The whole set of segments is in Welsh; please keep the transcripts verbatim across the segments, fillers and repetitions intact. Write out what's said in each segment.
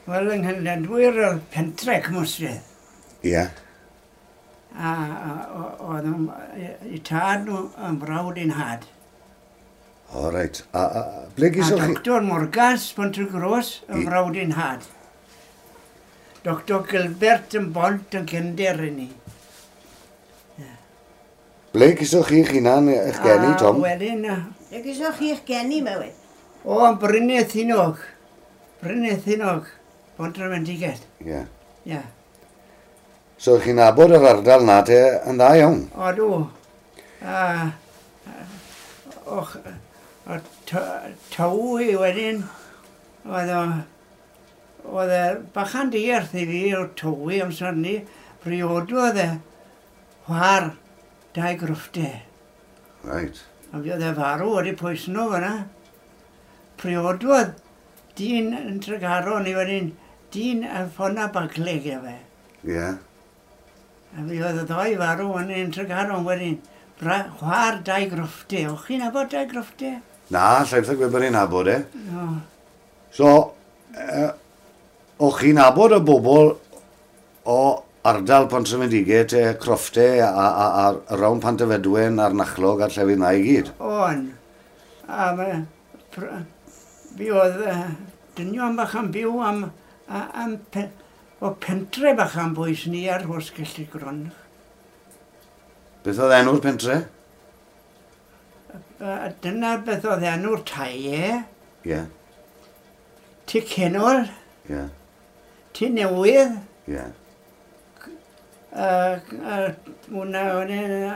Wel, yng Nghlynlledwyr oedd pentre Cwmystwyth. Ie. Yeah. A oedd i tad nhw yn brawd i'n had. O, reit. A, a ble gysoch chi? A Doctor Morgans, Pont-y-gros, yn brawd i'n had. Doctor Gilbert yn Bont yn cefnder i ni. Yeah. Ble gysoch chi'ch hunan eich geni, Tom? A wedyn... Ble gysoch chi'ch geni, Mewyn? O, yn Brynethinog. Brynethinog, Pontrhymendigell. Ie. Ie. So chi'n nabod yr ardal na te yn dda iawn? O, dw. A, och, o Tywi wedyn, oedd o, oedd e bachan dierth i fi o Tywi amser ni, briododd e chwar dau grwffte. Right. A fi oedd e farw wedi pwysno fyna. Priododd dyn yn Tregaron i wedyn, dyn y ffona Bagley gyda fe. Ie. Yeah. A fi oedd y ddoi farw yn yn Tregaron wedyn. Chwar dau grwffte. O'ch chi'n nabod dau grwffte? Na, llai byth gwybod bod ni'n nabod e. No. So, uh, o'ch chi'n nabod y bobl o ardal Pontrhymendigell, te Croffte a, a, a, a rawn Pantyfedwen a'r Nachlog a'r llefydd na i gyd? O'n. A ma, pr, fi oedd uh, dynion bach yn byw am, am, pe, o pentre bach am bwys ni ar Rhosgelli Gron. Beth oedd enw'r pentre? Dyna beth oedd enw'r tai e. Ie. Yeah. Tŷ Cenol. Ie. Yeah. Tŷ Newydd. Ie. Yeah. Hwna, hwna,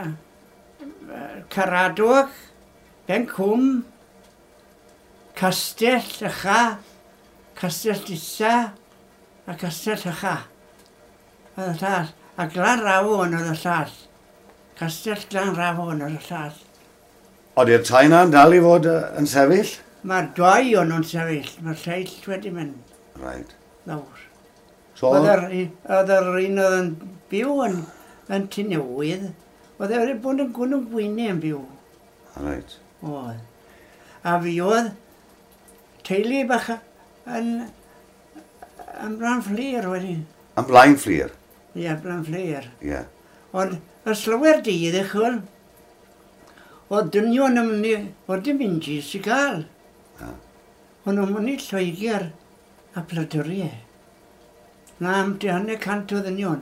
Caradog, Bencwm, Castell Ycha, Castell Isa, a Castell Ycha. Oedd y llall. A Glanrafon oedd y llall. Castell Glanrafon oedd y llall. Oeddi'r tai na'n dal i fod yn sefyll? Mae'r dau o'n nhw'n sefyll. Mae'r lleill wedi mynd. Right. Lawr. So, oedd yr un oedd yn byw yn, yn Tŷ Newydd, oedd e wedi bod yn gwyn yn Gwynedd yn byw. Right. Oedd. A fi oedd teulu bach yn, yn Blaenfflur wedyn. Yn Blaenfflur? Ie, yeah, Blaenfflur. Ie. Yeah. Ond y slywer dydd eich wel, oedd dynion yn mynd, oedd dim injis i gael. Ah. O'n nhw'n mynd i Lloegr a Pladuriau. Na, am hanner cant o ddynion.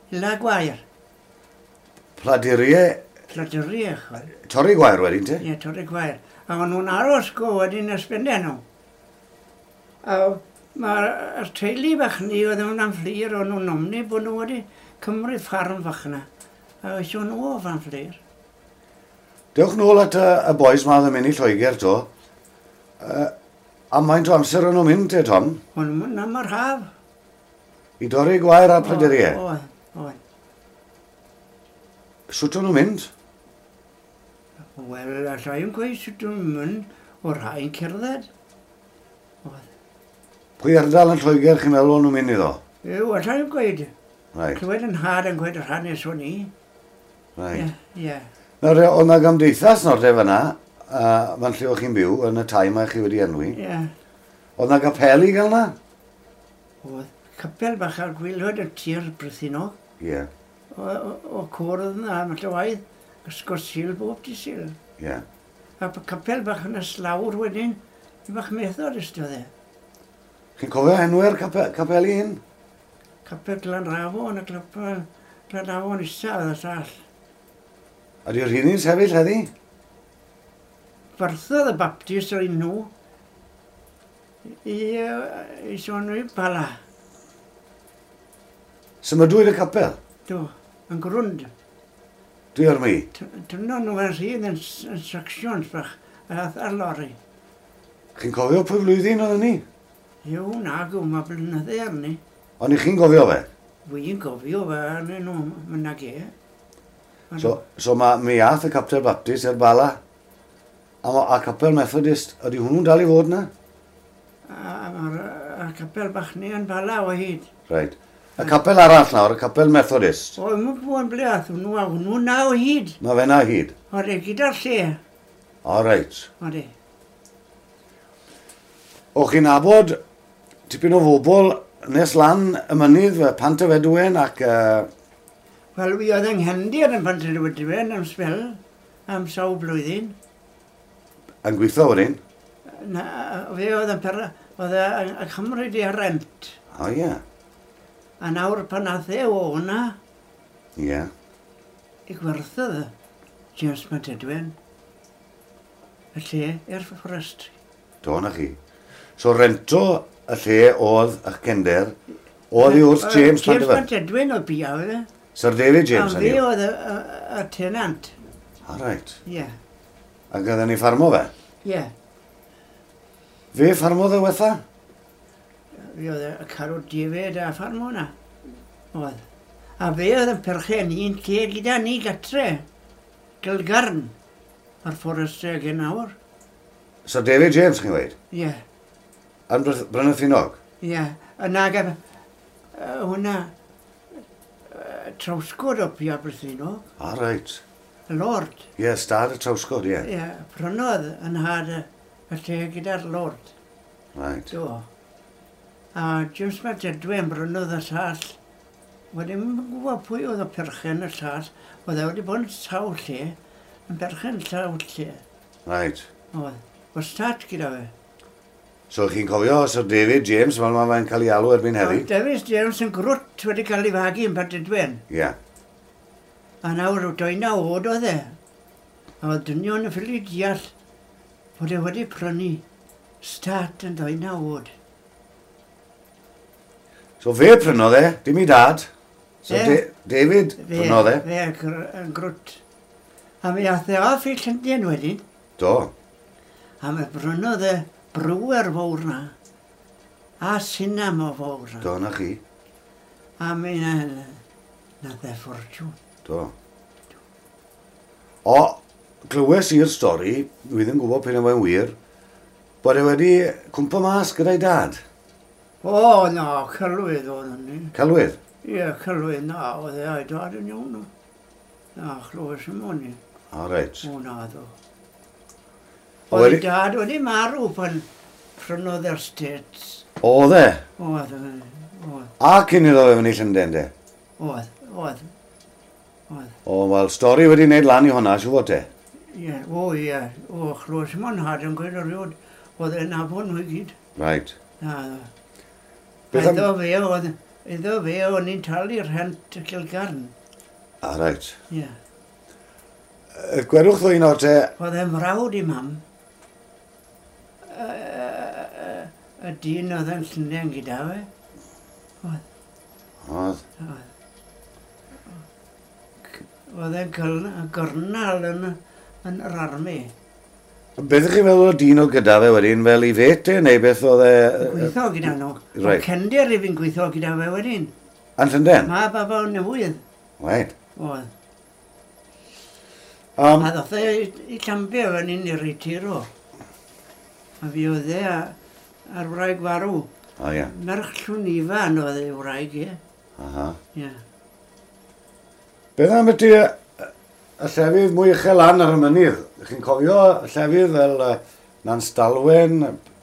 Ila gwair. Pladuriau? Pladuriau, chwel. Torri gwair wedyn, te? Ie, torri gwair. A o'n nhw'n aros go wedyn ysbendau nhw. A mae'r teulu bach ni oedd yn Amfflur, o'n nhw'n omni bod nhw wedi cymryd ffarm fach yna. A oes nhw o Amfflur. Dewch nôl at y, y boys ma oedd yn mynd i Lloegr to. Uh, a maint o amser o'n nhw'n mynd te, Tom? O'n nhw'n mynd am yr haf. I dorri gwair a Pladuriau? Oedd, oedd. Sut o'n nhw'n mynd? Wel, allai yn gweud sut o'n nhw'n mynd, o'r rhai'n cerdded. Oedd. Pwy ardal yn Lloegr chi'n meddwl o'n nhw'n mynd iddo? Yw, allai yn gweud. Right. Clywed yn had yn gweud yr hanes o'n i. Right. Ie, ie. Nawr, oedd na gymdeithas nawr te fyna, uh, fan lle o'ch chi'n byw, yn y tai mae chi wedi enwi. Ie. Oedd na gapel i gael na? Oedd. Capel bach ar gwylod y tir Brythinog. Ie. Yeah. O, o, o cwrdd yna, am y waith, ysgol Sul bob di Sul. Ie. Yeah. A capel bach yn y slawr wedyn, i bach Methodist oedd e. Chi'n cofio enwau'r capel, capeli hyn? Capel Glanrafon a Capel Glanrafon Isa oedd y llall. Ydy'r rhini'n sefyll heddi? Barthodd y Baptist o'r un nhw i, i sôn i Bala. Symudwyd y capel? Do, yn grwnd. Dwi ar mi? Dyna nhw yn rhydd yn, yn sections bach, ath ar lori. Chi'n cofio pwy flwyddyn oedd ni? Yw, nag yw, mae blynydde arni. Ond i chi'n gofio fe? Wy'n gofio fe, arnyn nhw, mynd ag e. So, so ma, mi ath y Capel Baptist i'r Bala, a, a Capel Methodist, ydy hwnnw'n dal i fod na? A, a, a capel bach ni yn Bala o hyd. Reit. Y capel arall nawr, y capel Methodist. O, mae'n bod yn ble ath hwnnw a hwnnw na o hyd. Mae fe na hyd? Odi, gyda'r lle. O, reit. Odi. O, chi'n nabod tipyn o fobl nes lan y mynydd, Pantyfedwen ac... Uh... Wel, fi oedd yng Nghendir yn Pantyfedwen am sbel, am sawl blwyddyn. Yn gweithio wedyn? Na, fe oedd yn per... oedd yn cymryd i rent. O, ie. Yeah. A nawr pan ath e o hwnna... Ie. Yeah. I gwerthodd James Pantedwen y lle i'r fforestry. Do, na chi. So rento y lle oedd eich cender, oedd i wrth James Pantedwen? James Pantedwen oedd bia fe. Sir David James, hynny. A fe oedd y, y, y tenant. O, reit. Ie. Yeah. Ac oedden ni ffarmo fe? Ie. Yeah. Fe ffarmodd e wetha? Fe oedd y carw David a ffarmo hwnna. Oedd. A fe oedd yn perchen un lle gyda ni gatre. Gilgarn. A'r fforestry ag yn awr. So David James, chi'n gweud? Ie. Yeah. Yn Brynythinog? Ie. Yeah. Yna gaf uh, hwnna uh, Trawsgwd o Pia Brythinog. O, reit. Y Lord. Ie, yeah, stad y Trawsgwd, ie. Ie, yeah, prynodd yn had y, y lle gyda'r Lord. Right. Do. A James Pantedwen brynodd y llall. Wedi ddim yn gwybod pwy oedd y perchen y llall. Oedd e wedi bod yn sawl lle, yn berchen sawl lle. Right. Oedd. Wastad gyda fe. So chi'n cofio Sir David James, fel mae fe'n cael ei alw erbyn heddi? Oedd David James yn grwt wedi cael ei fagu yn Pantedwen. Ie. Yeah. A nawr deunaw oed oedd e. A oedd dynion yn ffili deall bod e wedi prynu stad yn deunaw oed. So fe prynodd e, dim i dad. So e, De David fe, prynodd e. Fe yn grwt. A mi ath e off i Llundain wedyn. Do. A mi brynodd e brewer fawr na. A sinema fawr na. Do, na chi. A mi na, nath e ffortiwn. Do. O, glywes i'r stori, dwi ddim yn gwybod p'un yw e'n wir, bod e wedi cwmpo mas gyda'i dad. O, na, celwydd oedd hynny. Celwydd? Ie, celwydd, na, oedd e a'i dad yn iawn. Na, chlywes i'm o'n i. O, reit. O, na, ddo. Oedd ei dad wedi marw pan prynodd yr States. Oedd e? Oedd, oedd. A cyn iddo fe fyny Llundain, de? Oedd, oedd. Oedd. O, wel, stori wedi wneud lan i hwnna, siŵr fod te? Ie, o, ie. O, chlywes i'm o'n had yn gweud erioed. Oedd e'n nabod nhw i gyd. Right. Na, ddo. Iddo fe, oedd, iddo fe, o'n i'n talu rhent y Cilgarn. Ah, reit. Ie. Yeah. Gwerwch ddwy nawr te... Oedd e'n mrawd i mam. Y dyn oedd yn Llundain gyda fe. Oedd. Oedd. Oedd. Oedd e'n gyrnal yn, yn yr armi. Beth ych chi'n meddwl o dyn o gyda fe wedyn, fel i fet e, neu beth oedd e... Gweithio gyda nhw. Right. O Cendir i fi'n gweithio gyda fe wedyn. Yn Llundain? Ma baba o'n newydd. Right. Oedd. Um, a ddoth e i Llambia fan hyn i'r Retiro. A fi oedd e a'r wraig farw. O, ie. Merch Llwn Ifan oedd ei wraig, ie. Aha. Ie. Beth am ydy y llefydd mwy uchel lan ar y mynydd? Chi'n cofio llefydd fel uh, Nanstalwen,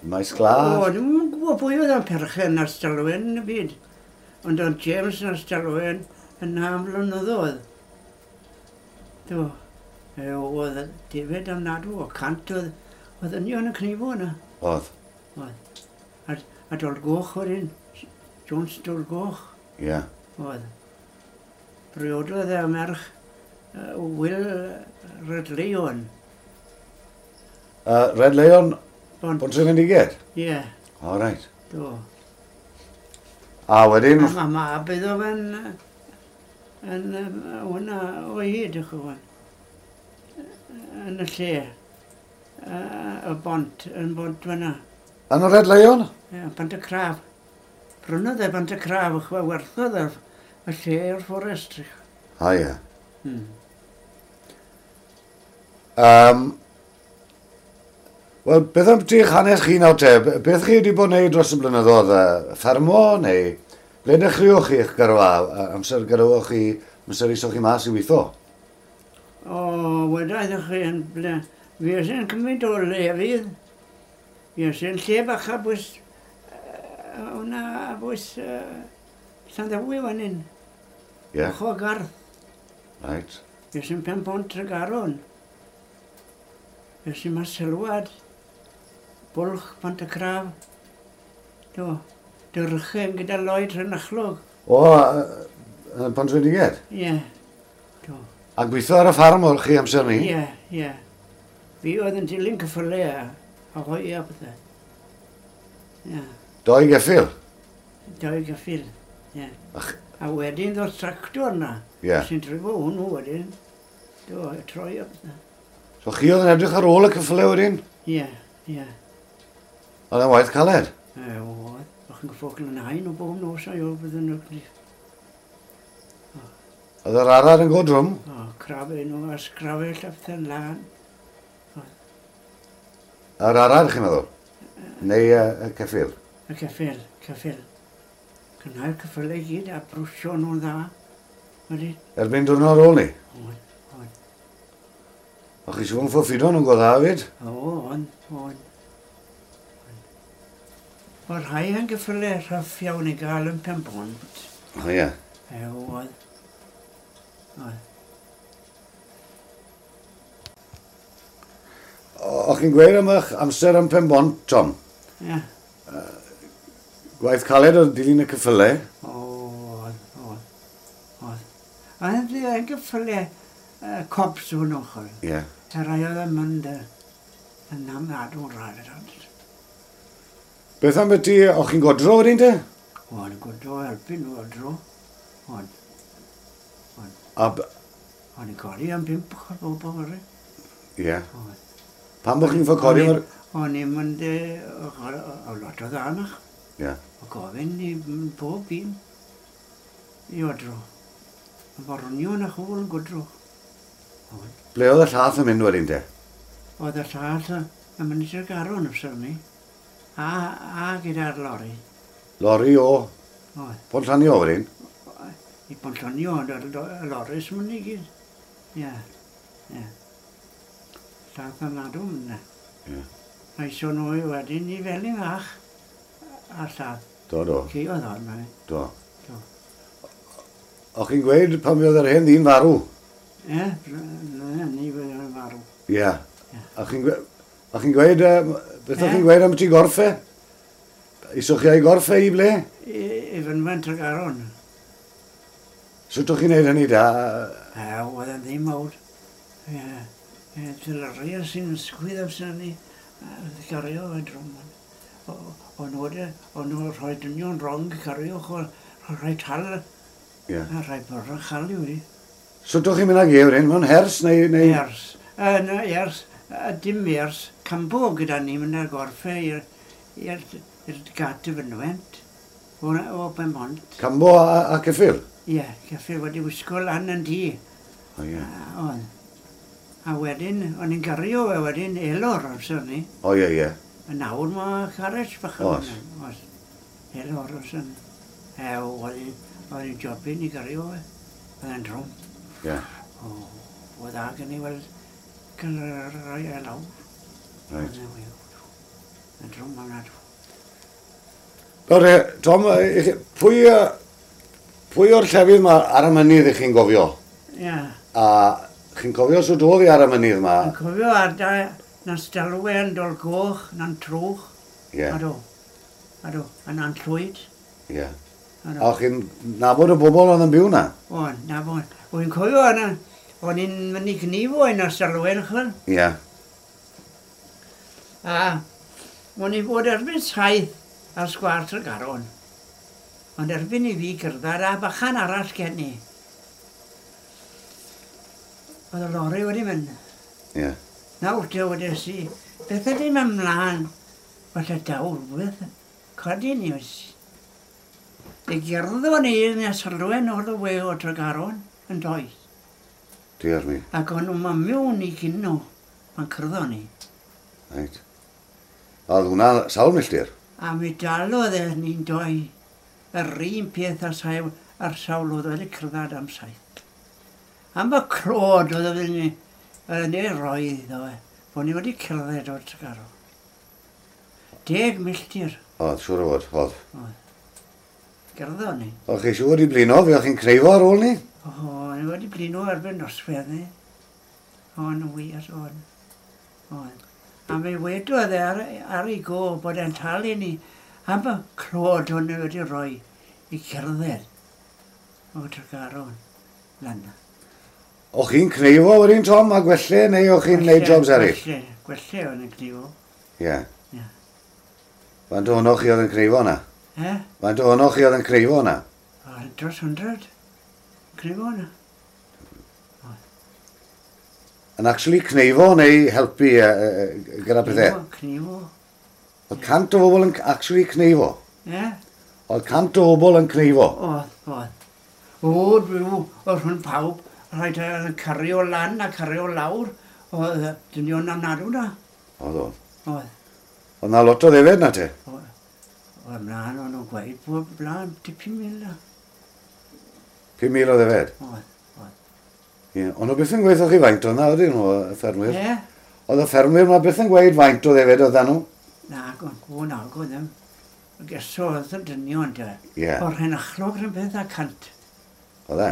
Maes Glas? O, dwi'm yn gwybod pwy oedd yn perchen Nanstalwen yn y byd. Ond oedd James Nanstalwen yn am blynyddoedd. Do. E, oedd David amnadw, o cant oedd, oedd union yn cnifo yna. Oedd. Oedd. A, a Dolgoch wedyn. Jones Dolgoch. Ie. Yeah. Oedd. Briododd e merch uh, Will Red Leon. Uh, Red Leon Bont. Pontrhyfendiged? Ie. Yeah. O, reit. Do. A wedyn... A mae mab iddo fe'n... yn hwnna o hyd, ych chi'n yn y lle. Y bont, yn bont fyna. Yn y Red Lion? Ie, Bont y Craf. Prynodd e Bont y Craf, ych chi'n werthodd y lle i'r fforest. O, ie. Hmm. Um, Wel, beth am ti'ch hanes chi nawr te? Beth chi wedi bod yn neud dros y blynyddoedd? Ffermo neu ble dechreuoch chi eich gyrfa? Amser gyrwch chi, amser isoch chi mas i weithio? O, weda ydych chi yn ble... Fi ys yn cymryd o lefydd. Fi ys yn lle bach a bwys Hwna a bwys Llanddewi fan hyn. Ie. Ucho gardd. Right. Fues i'n pen bont Tregaron. Fues i'n Marselwad. Bwlch Pont y Craf. Do. Dyrchen gyda Lloyd Rhynachlog. O, yn Pontrhydygen? Ie. Do. A gweithio ar y ffarm o'r chi amser ni? Ie, ie. Fi oedd yn dilyn cyffylau a, a hoi a pethau. Ie. Doi geffyl? Doi geffyl, ie. Ach. A wedyn ddod tractor na. Ie. Sy'n drifo hwnnw wedyn. Do, troi a pethau. So chi oedd yn edrych ar ôl y cyffylau wedyn? Ie, ie. Oedd e'n waith caled? E, oedd. O'ch chi'n gyffwrdd yn hain o bob nos a i'w bydden nhw. Oedd yr arad yn go drwm? O, crafu nhw a sgrafell a pethau'n lan. Yr arad, chi'n meddwl? Neu y, y ceffyl? Y ceffyl, ceffyl. Cynnau'r ceffylau i gyd a brwsio nhw'n dda. Wedi? Erbyn diwrnod ar ôl ni? Oedd, oedd. O chi siŵr yn ffoffido nhw'n go dda hefyd? O, oedd, oedd. O'r rhai yn gyffylau rhaff iawn i gael yn pen bont. O ie. E, oedd. Oedd. O'ch chi'n gweud am eich amser yn pen bont, Tom? Ie. Uh, gwaith caled oedd dilyn y cyffylau? O, oedd, oedd, oedd. Oedd yn gyffylau uh, cobs o'n ochr. Ie. Y rai oedd yn mynd yn amnadw'n rhaid. Beth am beth ti, o'ch chi'n godro wedyn te? O, o'n godro, helpu nhw godro. O'n. O'n. A... O'n i'n codi am bump o'r bobl o'r. Ie. Oedd. Pam bod chi'n ffo codi o'r... O'n i'n mynd o lot o ddanach. Ie. O gofyn i bob un i odro. Y bornion a chwl yn godro. Ble oedd y llath yn mynd wedyn te? Oedd y llath yn mynd i Tregaron amser ni. A, a gyda'r lori. Lori o? Oedd. Pontllanio wedyn? I Pontllanio, ond y lori sy'n mynd i gyd. Ie, ie. Llath yn ladw mynd. Ie. Mae sôn nhw wedyn i Felin Fach a'r llath. Do, do. Ci oedd hon, mae. Do. Do. O'ch chi'n gweud pan oedd yr hen ddyn farw? Ie, ni fydd yn farw. Ie. A chi'n gweud, beth o'ch chi'n gweud am ti gorff e? Isoch chi a'i gorff e i ble? I, i fynwent Tregaron. Sut o'ch chi'n neud hynny da? E, oedd yn ddim mawr. Ie. Tylaria sy'n sgwydd amser ni, cario fe drwm. O'n nhw'n rhoi dynion rong cario, rhoi tal, yeah. A rhoi byrrach chal i wedi. Sut o'ch chi'n mynd ag e wedyn? Mewn hers neu... neu... Hers. Na, hers. Dim hers. Cambo gyda ni mynd â'r gorffe i'r gat y fynwent o, o Benbont. Cambo a, a ceffyl? Ie, yeah, ceffyl wedi wisgo lan yn di. O ie. Oedd. A wedyn, o'n i'n gario fe wedyn, elor amser ni. O ie, ie. A nawr mae carriage bach. Oes. Oes. Elor amser ni. E, oedd i'n jobyn i gario fe. Oedd e'n drwm. Ie. O, oedd a gen i weld cael rhai e lawr. Reit. Yn drwm am nadw. Nawr, Tom, pwy, pwy o'r llefydd ma ar y mynydd ych chi'n gofio? Ie. A chi'n cofio sut oedd hi ar y mynydd ma? Yn cofio ar da, na'n Stelwe yn Dolgoch, na'n Trwch. Ie. Ado, ado, a na'n Llwyd. Ie. A chi'n nabod y bobl oedd yn byw na? O'n, nabod. O'n cofio yna, o'n i'n mynd i gnifo yn y Stelwe, chwel. Ie. A o'n i fod erbyn saith ar sgwâr Tregaron. Ond erbyn i fi gyrddad a bachan arall gen i. Oedd y lori wedi mynd. Ie. Nawr te wedes i, beth ydy mynd mlaen? Falle daw rhywbeth. Codi ni oes. I gerddon ni yn y sylwen o'r we o Tregaron yn does. Diar mi. Ac o'n nhw'n mynd mewn i gynno pan cyrddon ni. Reit. A oedd hwnna sawl milltir? A mi dalodd e ni'n doi yr un peth ar sawl, ar sawl oedd wedi cyrddad am saith. Am y clod oedd oedd ni, oedd ni roi iddo fe, bod ni wedi cerdded o'r Tregaron. Deg milltir. Oedd, siŵr o fod, oedd. Oedd. Gerddo ni. O'ch chi siŵr wedi blino, fe o'ch chi'n creifo ar ôl ni? O, ni wedi blino erbyn noswaith ni. O'n wir, o'n. O'n. A mi wedodd e ar, ar ei go bod e'n talu ni am y clod o'n wedi rhoi i cerdded o Tregaron lan. O'ch chi'n cneifo wedyn, Tom, a gwelle, neu o'ch chi'n gwneud jobs eraill? Gwelle, gwelle o'n yn cneifo. Ie. Ie. Faint ohonoch chi oedd yn cneifo na? E? Faint ohonoch chi oedd yn cneifo na? O, dros hundred. Cneifo na. Yn actually cneifo neu helpu uh, uh, gyda pethau? Cneifo. Oedd cant o bobl yn actually cneifo? Ie. Oedd cant o bobl yn cneifo? Oedd, oedd. O, dwi, oedd rhwng pawb, rhaid oedd yn cario lan a cario lawr. Oedd dynion ofnadw na. Oedd, oedd. Oedd. Oedd na lot o ddefed na te? Oedd, mlaen o'n nhw'n gweud bod blaen dipyn mil na. Pum mil o ddefed? Oedd, oedd. Ie, ond nhw byth yn gweithio chi faint oedd na, ydyn nhw, y ffermwyr? Ie. Oedd y ffermwyr ma byth yn gweud faint o ddefed oedd nhw? Nagon, o nagon ddim. Geso oedd y dynion te. Ie. O'r hen achlog rhywun beth a cant. Oedd e?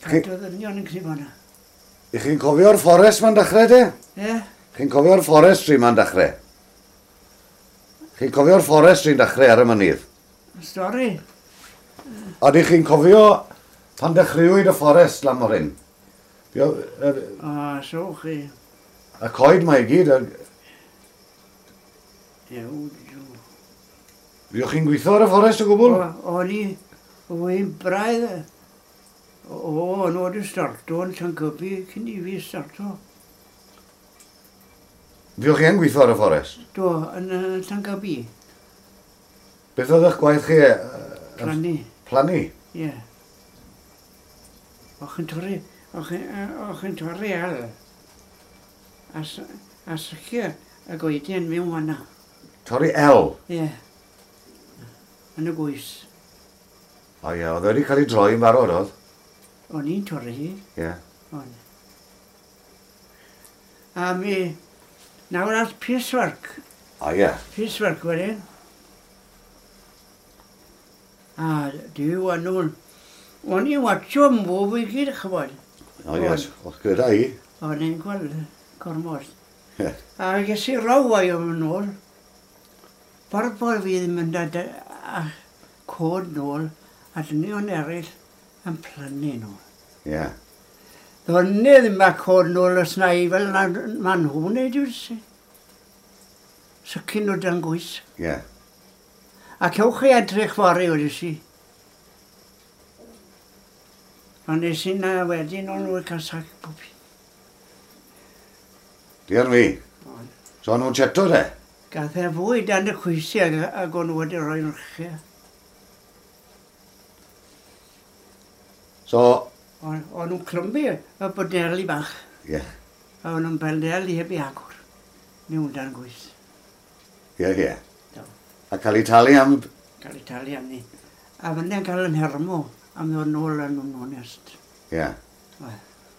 Cant o ddynion yn cnifo na. I chi'n cofio'r fforest ma'n dechrau te? Ie. Chi'n cofio'r forestry ma'n dechrau? Chi'n cofio'r forestry'n dechrau ar y mynydd? Stori. Ydych chi'n cofio pan dechreuwyd y fforest lan mor hyn? O, so chi. Y coed mae i gyd. Ew, ew. Fuoch chi'n gweithio ar y fforest o gwbl? O'n i, o'n braidd, o, o'n wedi starto yn Llangybi cyn i fi starto. Fuoch chi yn gweithio ar y fforest? Do, yn Llangybi. Beth oedd eich gwaith chi? Plannu. Plannu? Ie. O'ch chi'n torri, o'ch chi'n torri el. A, a sychu y goedien mewn fan'na. Torri el? Ie. Yn y gwys. O ie, oedd wedi cael ei droi yn barod, oedd? O'n i'n torri hi. Ie. O'n. A mi, nawr at piecework. O ie. Piecework wedyn. A diw a nhw'n... O'n i'n watcho mwy i gyd, chybod. O ies, o'ch gyda i. O'n i'n gweld gormod. Ie. A ges i raw o'i am yn ôl. Ffordd bod fi ddim yn dod a cod nôl, a dynion eraill yn plannu nôl. Ie. Ddoni ddim a cod nôl os na i fel na ma nhw'n neud yw'r si. Sycyn nhw dan gwys. Ie. A cewch chi edrych fory, wedi si. Ond nes i na wedyn o'n nhw'n cael sac pob un. Diar mi. So o'n nhw'n cheto te? Gath e fwy dan y cwysi ag, ag o'n nhw wedi rhoi'n rhychau. So... O'n nhw'n clymbu y bodeli bach. Ie. Yeah. A o'n nhw'n bodeli heb i agor. Mewn dan gwys. Ie, ie. A cael ei talu am... Cael ei talu am ni. A fyndde'n cael yn hermo am ddod nôl yn nhw'n onest. Ie. Yeah.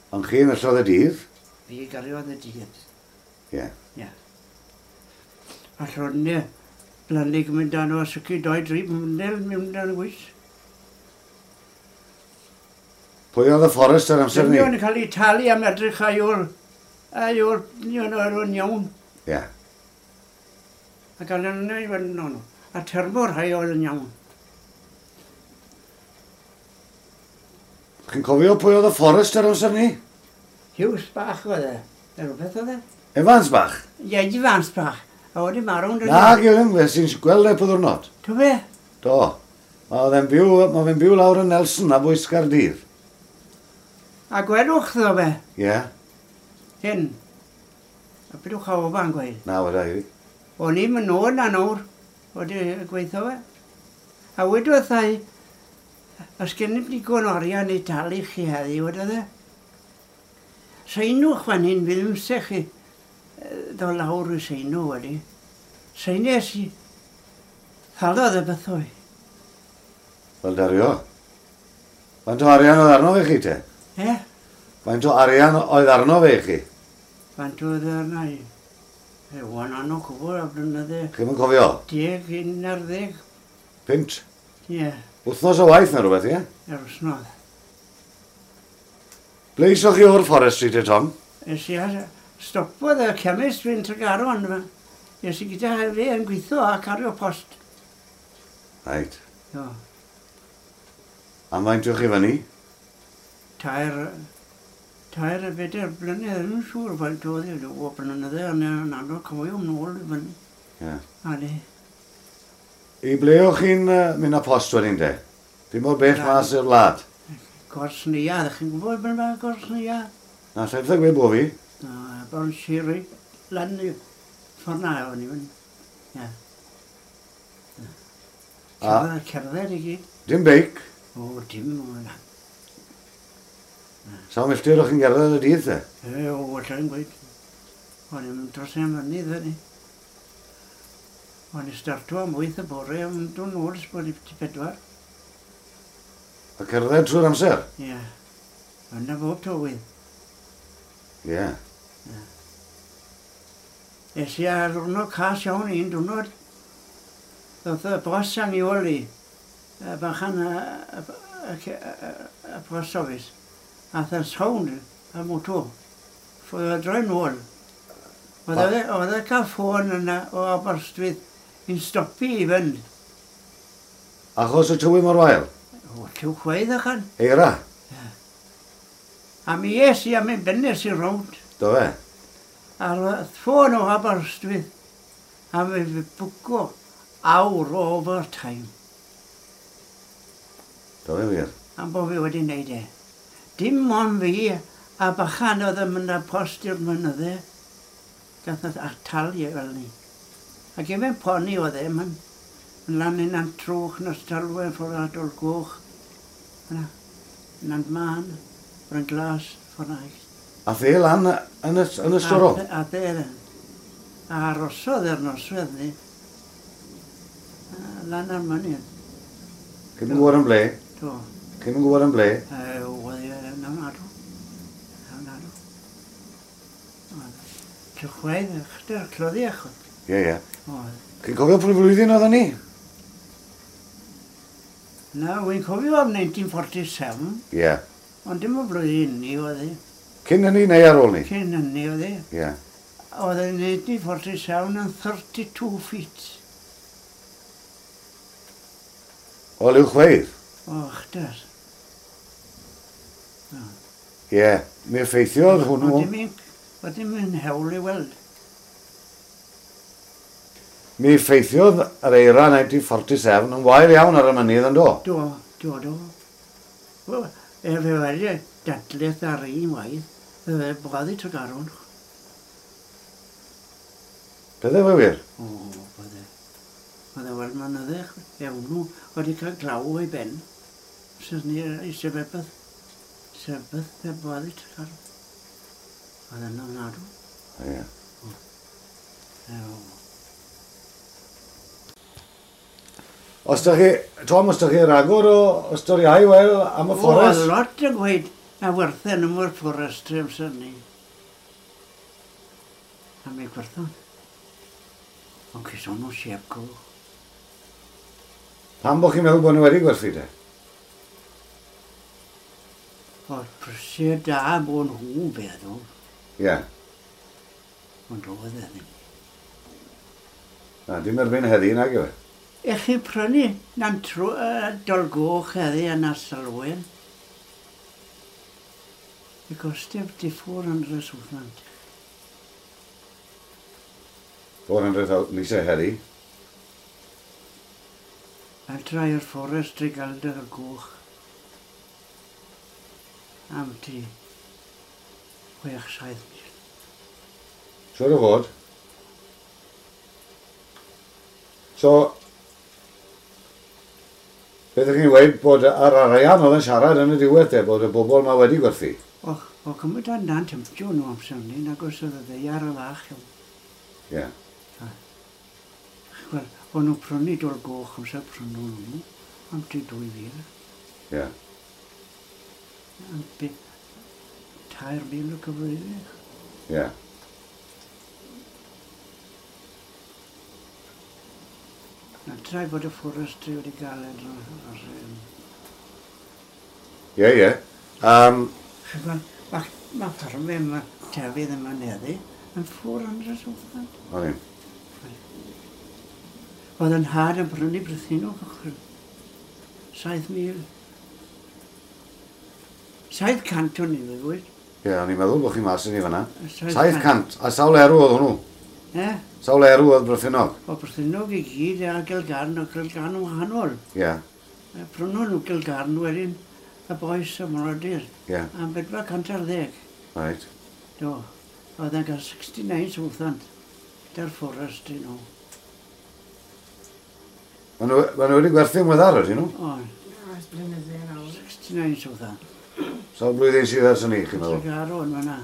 Ond chi yn ystod y dydd? Fi gariodd y dydd. Ie. Ie. A llorne blannig mynd dan o sycu doi dri mwndel mewn dan y gwys. Pwy oedd y fforest ar amser ni? Dynion yn cael ei talu am edrych a yw'r... A yw'r dynion o'r iawn. Ie. Yeah. A gael yn ei fod yn A termo rhai oedd yn iawn. Chi'n cofio pwy oedd y fforest ar amser ni? Hughes bach oedd e. Neu rhywbeth oedd e? Evans bach? Ie, Evans bach. A wedi marw'n... Na, Gilym, fe sy'n gweld e po ddwrnod. Do fe? Do. Mae fe'n byw, ma fe'n byw lawr yn Nelson a bwys Caerdydd. A gwelwch ddo fe? Ie. Yeah. Hyn. A bydwch a ofa'n gweud. Na, weda i. O'n i'n mynd nôl na nawr, wedi gweithio fe. A wedodd i, os gen i'm digon o arian i dalu chi heddi, wedodd e. Seinwch fan hyn, fi ddim se chi ddod lawr i seinw wedi. Seines i, thalodd y bethau. Wel, dario. Faint o arian oedd arno fe chi te? E? Faint o arian oedd arno fe chi? Faint oedd arno i? E, wan anno cwbl a blynydde. Chi'm yn cofio? Deg, un ar ddeg. Pint? Ie. Wythnos o waith neu rhywbeth, ie? Yr wythnos. Ble isoch chi o'r forestry te, Tom? Es i a stopodd y chemist fi'n Tregaron. Es i gyda fe yn gweithio a cario post. Reit. Jo. Am faint o'ch chi fyny? Tair... Tair a bedair blynedd, ddim yn siŵr faint oedd e, o blynydde, ond yn anodd cofio nôl i fyny. Ie. A ni. I ble o'ch chi'n uh, mynd â post wedyn te? Dim mor bell mas i'r wlad? Gors Neuadd, chi'n gwybod beth mae Gors Neuadd? Na, lle byddai gweud bo fi? Na, Bon Siri, lan i ffordd na o'n i fyny. Ie. Cerdded, cerdded i gyd. Dim beic? O, dim o na. Sawl milltir o'ch chi'n gerdded y dydd te? E, o, allai'n gweud. O'n i'n mynd dros ein mynydd fyny. O'n i'n starto am wyth y bore, ond dod nôl ers bod i pedwar. A cerdded trwy'r amser? Ie. Yna bob tywydd. Ie. Es i ar ddiwrnod cas iawn un diwrnod. Ddoth y bos am i ôl i, y bachan y, y, y, y, y post office. Ath y sound y moto. Ffodd o droi nôl. Oedd e, oedd e cael ffôn yna o Aberystwyth i'n stopi i fynd. Achos y tywydd mor wael? O, lliw chweith achan. Eira? Ie. A mi es i am ein bennes i rownd. Do fe? A'r ffôn o Aberystwyth. A mi fi bwco awr o overtime. Do fe wir? Am bod fi wedi wneud e. Dim ond fi a bachan oedd yn mynd â post i'r mynydde. Gath oedd atalu fel ni. Ac efo'n poni oedd e, mae'n lan yn Nant Trwch, Nos Talwen, ffordd Adol Goch. Yna, Nant Man, Bryn Glas, ffordd na. A the lan yn y, yn y storw? A, a the lan. A arosodd e'r noswedd ni. Lan ar mynydd. Chi'm yn gwybod yn ble? Do. Chi'm yn gwybod yn ble? Oedd e yn ofnadw. Ofnadw. Llychwedd, chdyr, cloddiach. Ie, ie. Oedd. Chi'n cofio pryd flwyddyn oedd ni? Na, wy'n cofio am nineteen forty-seven. Ie. Ond dim o flwyddyn ni oedd hi. Cyn hynny neu ar ôl ni? Cyn hynny oedd hi. Ie. Oedd hi nineteen forty-seven yn thirty-two feet. O, liw chweith? O, chdyr. Ie, mi effeithiodd hwnnw. Oedd dim yn hewl i weld. Mi effeithiodd yr eira nineteen forty-seven yn wael iawn ar y mynydd yn do? Do, do, do. Wel, e fe wedi dadleth ar un waith, fe fe boddi Tregaron. Bydde fe wir? O, bydde. Bydde weld mynydde, e hwnnw wedi cael glaw o'i ben. Sydd ni eisiau beth, sef e boddi Tregaron. Oedd yn ofnadw. Ie. Os da chi, Tom, os da chi ragor o, o storiau, wel, am y fforest? O, lot yn gweud na werthen am o'r fforestry amser ni. A mi gwerthon. Ond ceison nhw siep go. Pam bod chi'n meddwl bod nhw wedi gwerthu te? O, prisiau da bod nhw'n feddwl. Ie. Ond oedd e ddim. Na, dim erbyn heddi, nag yw e? Ech chi prynu na'n trw, uh, Dolgoch heddi yn Asalwen. I gostio di four hundred wythant. four hundred Lisa heddi? Adra i'r fforest i gael dy goch. Am ti chwech saith mil. Siwr o fod. So, beth ydych chi'n gweud bod yr arian oedd yn siarad yn y diwedd te, bod y bobl yma wedi gwerthu? O, o cymryd o'n dan temtio nhw amser ni, nag oes oedd y ddaear y fach iawn. Ie. Wel, o'n nhw'n prynu Dol Goch amser prynu nhw, am ti dwy fil. Ie. Am tair mil o cyfrifau. Ie. Na, trai bod y forestry wedi gael e. Ie, ie. Um, Mae ma ffarmau yma, tefydd yma neddi, yn four hundred thousand. O'n i. Oedd yn had yn prynu Brythinog ochr. Saith mil. Saith cant o'n i ddweud. Ie, o'n i'n meddwl bod chi mas yn i fan'na. Saith cant. A sawl erw oedd hwnnw? E? Sawl erw oedd Brythinog? O Brythinog i gyd, a Gilgarn, o Gilgarn yn wahanol. Ie. Prynon nhw Gilgarn wedyn, y boes y mrodyr. Ie. Am bedwar cant ar ddeg. Reit. Do. Oedd e'n cael sixty-nine thousand. Gyda'r forest i nhw. Maen nhw, ma nhw wedi gwerthu'n weddar, ydyn nhw? O. Ers blynydde nawr. sixty-nine thousand. Sawl blwyddyn sydd ers hynny, chi'n meddwl? Tregaron fan'na.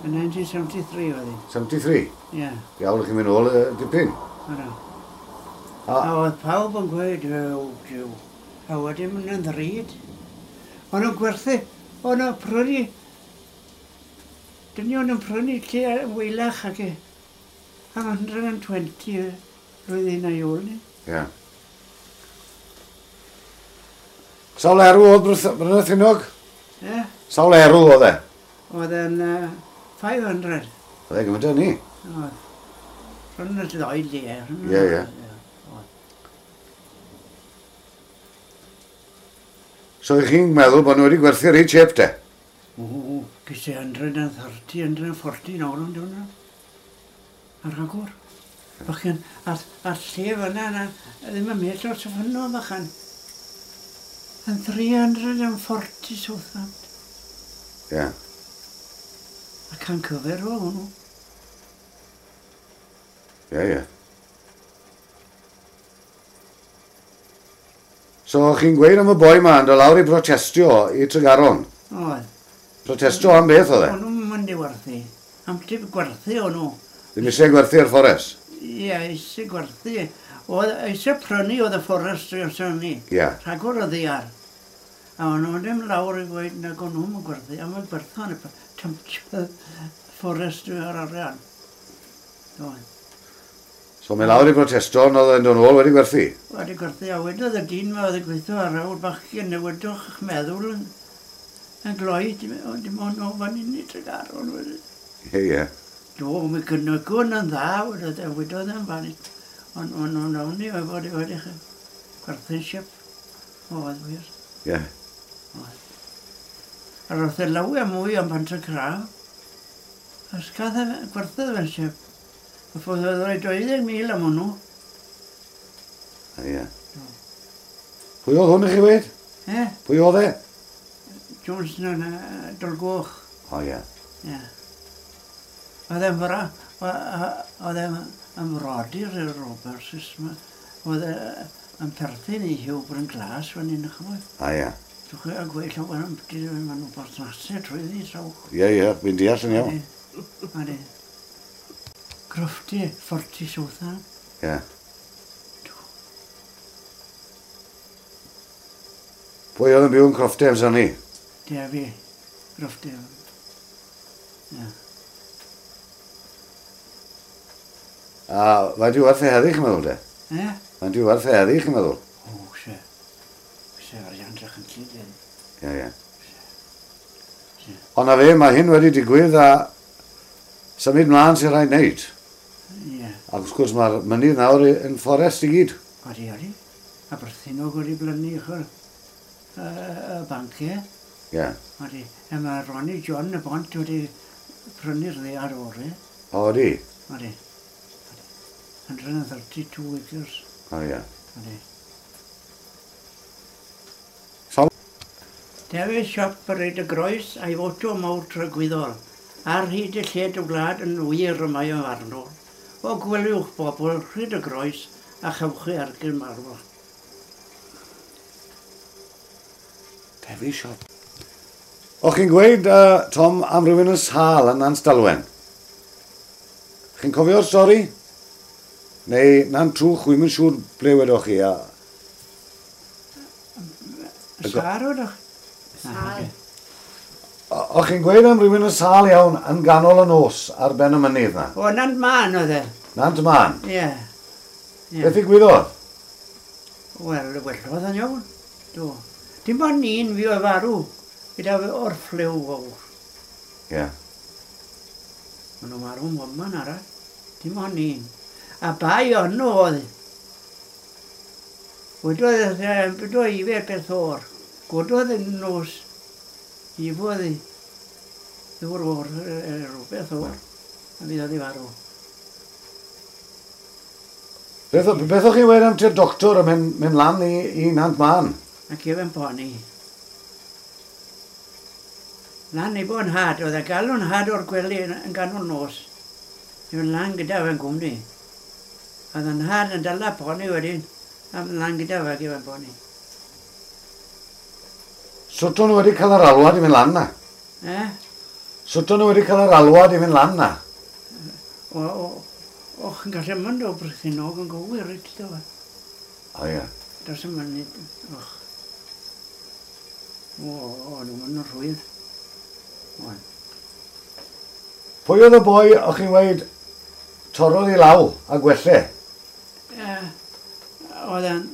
Yn nineteen seventy-three oedd hi. seventy-three? Ie. Yeah. Iawn, chi'n mynd nôl y dipyn. Yna. A, a oedd pawb yn gweud, ew, diw. A wedyn mynd yn ddrud. O'n nhw'n gwerthu, o'n nhw'n prynu. Dynion yn prynu lle yn wylach ac e. Am hundred and twenty flwyddyn a'i ôl ni. Ie. Yeah. Sawl erw oedd Brythinog? Ie. Yeah. Sawl erw oedd e? Oedd e'n uh, five hundred. Oedd e gymaint â ni? Oedd. Rhwng y ddoi le. Ie, ie. So ych chi'n meddwl bod nhw wedi gwerthu reit chep te? O, ges i hundred and thirty, hundred and forty nawr yn dod. Ar rhagor. Bachan, a'r, a'r lle fyna, na, ddim yn mell o'r sefyno, bachan. Yn three hundred and forty thousand. Ie. Yeah. A can cyfer o hwnnw. Ie, ie. So, chi'n gweud am y boi ma yn dod lawr i protestio i Tregaron? Oedd. Protestio am beth oedd e? O'n nhw'n mynd i werthu. Am tip gwerthu o'n nhw. Ddim eisiau gwerthu ar fforest? Ie, eisiau gwerthu. Oedd eisiau prynu oedd y forestry os o'n ni. Ie. Rhagor o ddiar. A o'n nhw'n ddim lawr i gweud nag o'n nhw'n gwerthu. A mae'n gwerthu yn y temptio forestry ar arian. Oedd. So mae lawr i protesto, ond oedd e'n dod nôl wedi gwerthu? Wedi gwerthu, a wedodd y dyn ma oedd yn gweithio ar awr bachgen, newidwch eich meddwl yn, yn gloi, dim ond o fan hyn i Tregaron. Ie, ie. Do, mi gynnygon yn dda, wedodd e, wedodd e'n fan hyn. Ond o'n o'n ni oedd wedi wedi gwerthu'n siap. Oedd wir. Ie. Oedd. A roedd e lawer mwy am Pant-y-craf. Os gath e gwerthudd fe'n siap. A ffordd oedd rhoi deuddeg mil am hwnnw. Ie. Pwy oedd hwn i chi wedi? E? Pwy oedd e? Jones yn Dolgoch. O ie. Ie. Oedd e'n fra, oedd e'n ymrodyr i'r Roberts. Oedd e'n perthyn i Hugh Bryn Glas fan hyn, chymod. A ie. Dwi'n chwe a gweud llawer am beth maen nhw'n berthnasau trwyddi sawch. Ie, ie, fi'n deall yn iawn. Odi. Crofty, forty thousand. Ie. Pwy oedd yn byw yn Crofty amser ni? Defi, Crofty. Ie. A faint yw werth e heddi, chi'n meddwl de? E? Faint yw werth e heddi, chi'n meddwl? O, se. Se arian drachenllyd heddi. Ie, ie. Ond na fe, mae hyn wedi digwydd a symud mlaen sy'n rhaid wneud. Ie. Ac wrth gwrs mae'r mynydd nawr yn fforest i gyd. Odi, odi. A Brythinog wedi blynu ochr y, y banciau. Ie. Odi. A mae Ronnie John y bont wedi prynu'r ddaear o'r. O, odi? Odi. hundred and thirty-two acres. O, ie. Odi. Sawl? Dewi siop ar y groes a'i foto mawr tragwyddol. Ar hyd y lled y wlad yn wir y mae o'n farnol. O gweliwch bobl rhyd y groes a chewch chi ergyn marw. Dewi siop. O, chi'n gweud, uh, Tom, am rhywun yn sâl yn Nant Dalwen? Chi'n cofio'r stori? Neu Nant Trwch, wi'm yn siŵr ble wedoch chi. A... Sâl wedoch? Sâl. O, chi'n gweud am rhywun yn sâl iawn yn ganol y nos ar ben y mynydd na? O, Nant Man oedd e. Nant Man? Ie. Beth ddigwyddodd? Wel, wellodd yn iawn. Do. Dim ond un fi oedd farw gyda o'r ffliw fawr. Ie. Yeah. Maen nhw marw mwman arall. Dim ond un. A bai o'n nhw oedd. Wedodd, wedodd i fe beth o'r. Gododd yn nos. I fodd i. Ddŵr o'r, rhywbeth o'r. A fydd oedd i farw. Beth, beth o'ch chi wedi am ti'r doctor yn mynd, mynd lan i, i Nant Man? Ac efo'n poni. Lan i bod yn had, oedd e galw'n had o'r gwely yn, yn ganol nos. I fynd lan gyda fe'n gwmni. Oedd yn had yn dala poni wedyn, a mynd lan gyda fe ac efo'n poni. Sut o'n nhw wedi cael yr alwad i fynd lan na? Eh? Sut o'n nhw wedi cael yr alwad i fynd lan na? O, o, o, chi'n gallu mynd o Brythinog yn gywir, reit, do fe. O ie. Does yn mynd, och. O, o, nhw'n mynd yn rhwydd. O'n. Pwy oedd y boi o'ch chi'n weud torrodd i law a gwelle? Uh, oedd yn,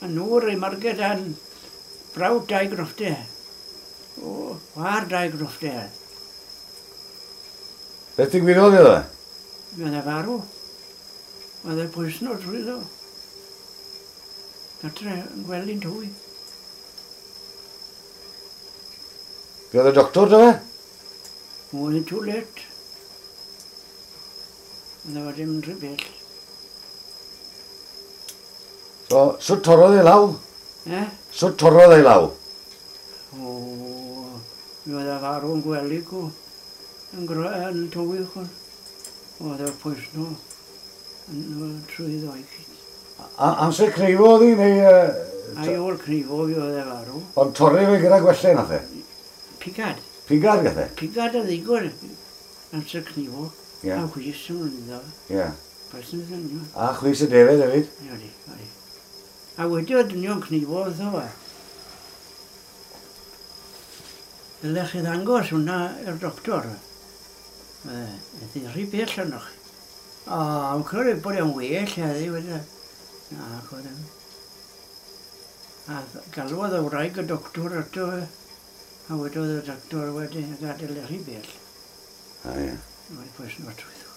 yn nŵr i Marged yn brawd dau groffte. O, war dau groffte. Beth ddigwyddodd iddo fe? Mi oedd e farw. Oedd e pwysno trwyddo. Gatre yn gwely'n twy. Be oedd y doctor dy fe? Oedd yn too late. Oedd e wedi mynd rhy bell. So, sut torrodd ei law? Eh? Sut torrodd ei law? O, mi oedd e farw yn gwely cw. Yn, yn tywi chwn. Oedd e'r pwysno yn trwyddo i gyd. Amser cneifo oedd hi, neu... Uh, Ai ôl cneifo fi oedd e farw. Ond torri fe gyda gwelle nath e? Pigad. Pigad gath e? Pigad a ddigon amser cneifo. Yeah. A chwys yn mynd iddo. Ie. Person yn nhw. A chwys y defed hefyd? Ie, odi, odi. A wedi oedd dynion cneifo wrtho fe. Dylech chi ddangos hwnna i'r doctor. Ydy rhy bell arnoch. O, yn credu bod e'n well heddi wedi. Na, oedd e'n. A galwodd y wraig y doctor ato fe. A wedodd y doctor wedi gadael e rhy bell. A ie. Wedi pwysno trwyddo.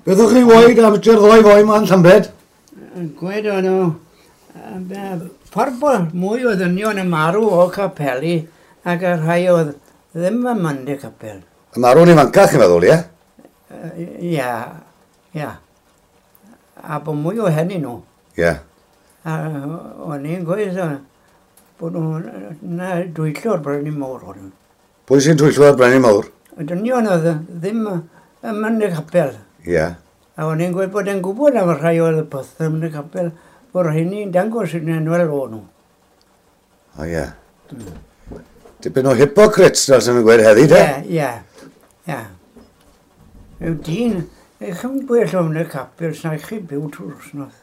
Beth o'ch chi weud am ti'r ddoi foi ma'n Llambed? Gweud o'n nhw, ffordd bod mwy o ddynion yn marw o capeli ac y rhai oedd ddim yn mynd i'r capel. Y marw'n ifancach, chi'n meddwl, ie? Ia, ia. A bod mwy o hynny nhw. Ie. A o'n i'n gweud bod nhw'n na dwyllo'r Brenin Mawr o'n nhw. Pwy sy'n dwyllo'r Brenin Mawr? Y dynion oedd ddim yn mynd i'r capel. Ie. A o'n i'n gweud bod e'n gwybod am y rhai oedd y peth yn y capel, bod rheini'n dangos yn enwel o'n nhw. O ie. Tipyn o hypocrites, fel sy'n nhw'n gweud heddi, te? Ie, ie, ie. Yw dyn, eich yn gwell o'n y capel, sna chi byw trwy'r wsnos.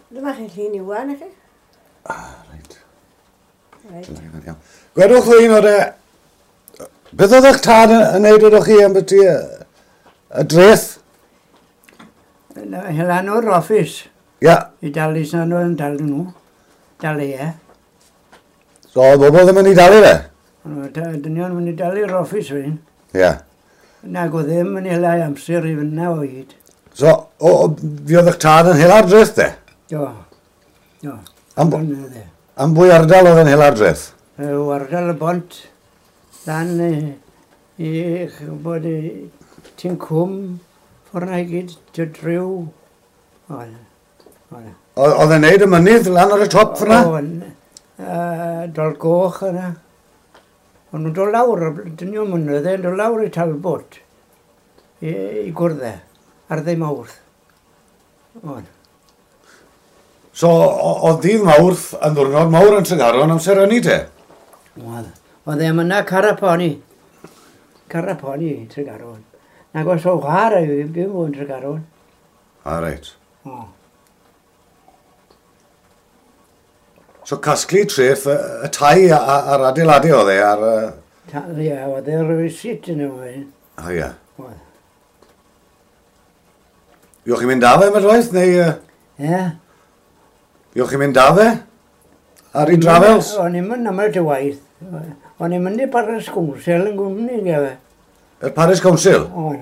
Dyma chi llun Iwan, chi? Ah, reit. Reit. Gwedwch ddyn o'r e... Beth oedd eich tad yn neud oeddech chi am beth i y dreth? Hela o'r office. Ia. I dalu sna nhw yn dalu nhw. Dalu e. So, oedd bobl ddim yn ei dalu fe? Dynion mynd i dalu'r office fi'n. Ia. Nag oedd ddim yn hela amser i fyna o hyd. So, o, o, fi oedd eich tad yn hela'r dreth de? Do. Do. Am, am bwy ardal oedd yn hela'r dreth? O ardal y bont. Lan i, i chybod, ti'n cwm, ffordd na i gyd, ty driw. Oedd. Oedd e'n neud y mynydd lan ar y top ffordd na? Oedd, Dol Goch yna. O'n nhw'n dod lawr, dynion mynydd, yn dod lawr i Talbot, i, i gwrdd e, ar ddydd Mawrth. Oedd. So, oedd dydd Mawrth yn ddwrnod mawr yn Tregaron amser hynny te? Oedd. Oedd e'n yna Caraponi. Caraponi, Tregaron. Nag oes o chwarae i fi byw yn Tregaron. A reit. O. So casglu treth y, y tai a'r adeiladau oedd e ar... Ie, oedd e'r receipt yn yma. O ie. Oedd. Iwch chi'n mynd â fe, Madwaith, neu... Ie. Iwch chi'n mynd â fe? Ar ei travels? O'n i'n mynd am y waith. O'n i'n mynd i Parish Council yn gwmni, gyfe. Y Parish Council? O'n.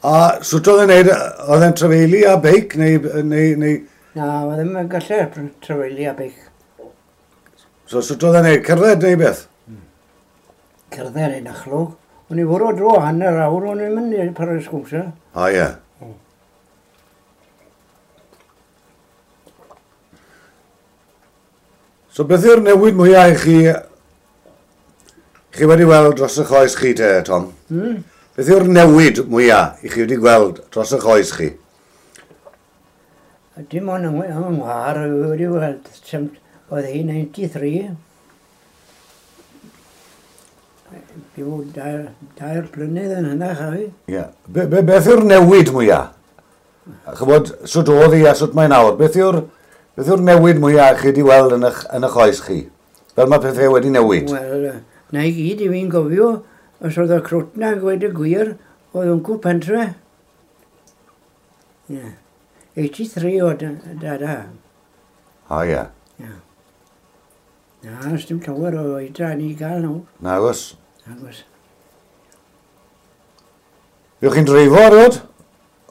A sut oedd e'n neud, oedd e'n trafeili a beic, neu... neu, neu... Na, oedd e'n gallu trafeili a beic. So sut oedd e'n neud, cerdded neu beth? Cerdded yn achlwg. O'n i fwrw dro hanner awr, o'n i'n mynd i'r Parish Council. O ie. So beth yw'r newid mwyaf i chi, chi wedi weld dros y choes chi te, Tom? Mm. Beth yw'r newid mwyaf i chi wedi gweld dros y choes chi? Dim ond yng Nghymru, wedi weld, oedd hi ninety-three. Byw dair, dair blynedd yn hynna, chafi. Ie. Be, be, beth yw'r newid mwyaf? Chybod, sut oedd hi a sut mae nawr? Beth yw'r beth yw'r newid mwyaf chi wedi weld yn eich, yn eich oes chi? Fel mae pethau wedi newid? Wel, na i gyd i fi'n gofio, os oedd y crwt na gweud y gwir, oedd yn cw pentre. Ie. eighty-three o dada. O ie. Ie. Na, os dim llawer o oedran i gael nhw. Nagos. Nagos. Fuoch chi'n dreifo erioed?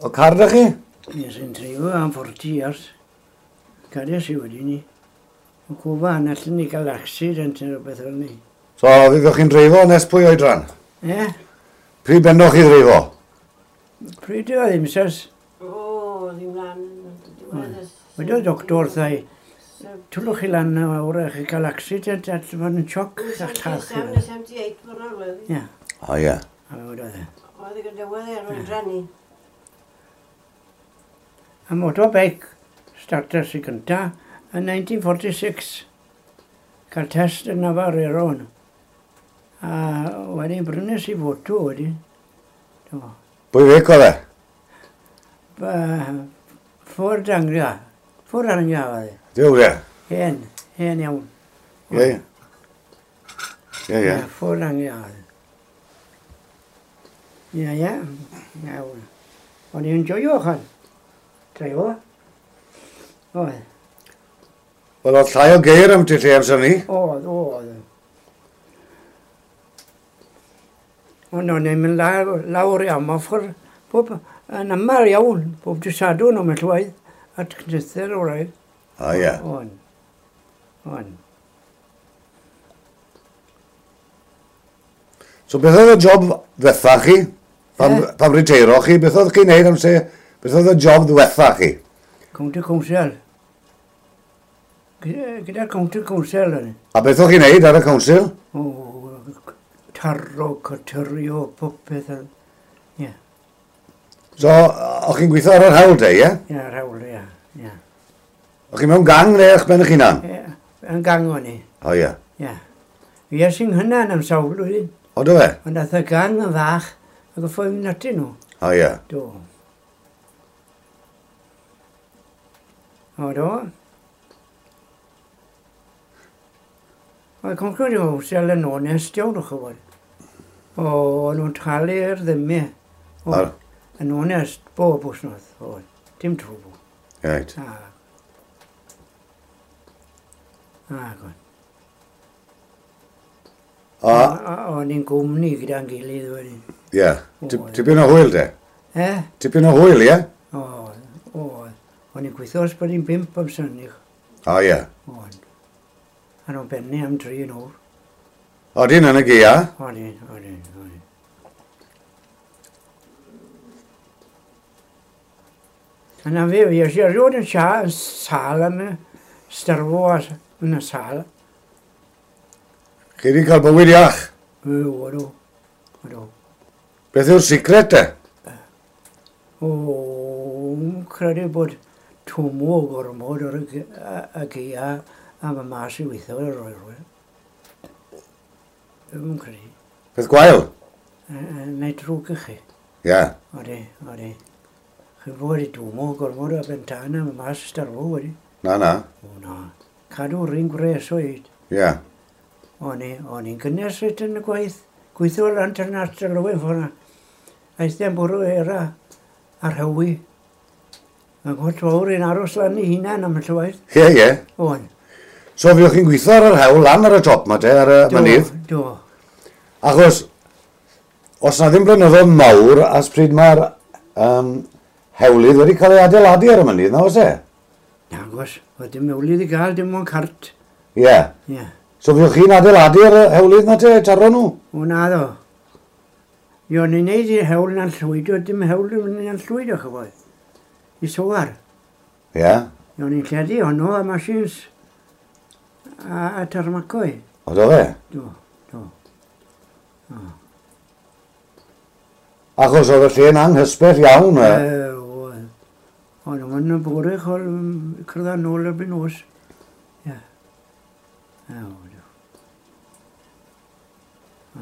O car da chi? Nes i'n dreifo am forty years. Gades i wedi ni. O cwfa, na allan ni gael accident neu rhywbeth fel ni. So, fuoch chi'n dreifo nes pwy oedran? Ie. Pryd bennoch chi ddreifo? Pryd oedd ddim, sas. O, ddim lan. Wedodd doctor wrtha i, twlwch chi lan awr a chi cael accident a fod yn sioc a'ch lladd chi. seventy-eight mor oedd. Ie. O ie. A fe wedodd e. Oedd e gyda wedd e'r oedran ni. A motorbike starters i gynta yn nineteen forty-six. Cael test yn Navarreron. A wedyn brynes i foto wedyn. Pwy feic oedd e? Ford Anglia. Ford Anglia oedd e. Diw e? Hen, hen iawn. Ie, ie. Ie, ie. Ford Anglia oedd e. Ie, ie. Iawn. O'n i'n joio chan. Dreifo. Oedd. Wel, oedd llai o geir am ti lle amser ni? Oedd, oedd. Ond o'n i'n mynd lawr i Amoffer, bob yn aml iawn, bob dydd Sadwrn o'n mynd llwaith, at cnither o'r rhaid. O ie. O'n. O'n. So beth oedd y job ddiwetha chi? Pam, eh? Pam riteiro chi? Beth oedd chi'n neud amser? Beth oedd y job ddiwetha chi? County Council. Gyda'r County Council o'n i. A beth oedd chi'n neud ar y council? O, taro, cytyrio, popeth. Ie. Yeah. So, o'ch chi'n gweithio ar yr hawl te, ie? Ie, ar hawl, ie. Ie. O'ch chi mewn gang neu eich ben eich hunan? Ie, yn gang o'n i. O, ie. Ie. Fues i'n hynna'n am sawl blwyddyn. O, do fe? Ond ath y gang yn fach ac y ffodd mynd atyn nhw. O, ie. Do. O, do. Oedd County Council yn onest iawn, o'ch chi'n gwybod. O, o'n nhw'n talu'r ddymau. O, yn onest, bob wythnos. O, dim trwbl. Reit. A. A, gwn. A? O'n i'n gwmni gyda'n gilydd wedyn. Ie. Tipyn o hwyl, de? E? Tipyn o hwyl, ie? O, o. O'n i'n gweithio os bod i'n bump am synig. O, ie. O'n. A nhw'n bennu am dri yn o'r. Odyn yn y gaea? Odyn, odyn, odyn. A na fe, fi eisiau erioed yn sia, yn sâl am y starfo yn y sâl. Chi wedi cael bywyd iach? O, odw, odw. Beth yw'r secret te? O, credu bod twmw o gormod o'r y gaea a mae mas i weithio o'r oer. Dwi'n credu. Peth gwael? Neu drwg i chi. Ie. Odi, odi. Chi'n fod i dwmo gormod o bentana, mae mas starfo wedi. Na, na. O, na. Cadw'r un gwres o hyd. Ie. Yeah. O'n i, o'n i'n gynnes reit yn y gwaith. Gweithio lan tan at y lywydd ffordd. Aeth e'n bwrw era ar hewi. Mae'n gwrs fawr i'n aros lan i hunan am y llywaith. Ie, ie. O'n. So fuoch chi'n gweithio ar yr hewl lan ar y top ma te, ar y mynydd? Do, do. Achos, os na ddim blynyddoedd mawr, as pryd mae'r um, hewlydd wedi cael ei adeiladu ar y mynydd, na oes e? Nagos, oedd dim hewlydd i gael, dim ond cart. Ie. Yeah. Ie. Yeah. So fuoch chi'n adeiladu ar y hewlydd na te, taro nhw? O na ddo. Io, ni'n neud i'r hewl na'n llwydo, dim hewl na'n llwydo, chyfoedd. I sowar. Ie. Yeah. Io, ni'n lledu honno a machines a, a tarmacoi. O, do fe? Do, do. O. Achos oedd y lle'n anghysbell iawn. E, oedd. O'n nhw'n yn bore chol cyrraedd nôl erbyn nos. Ie. E, oedd.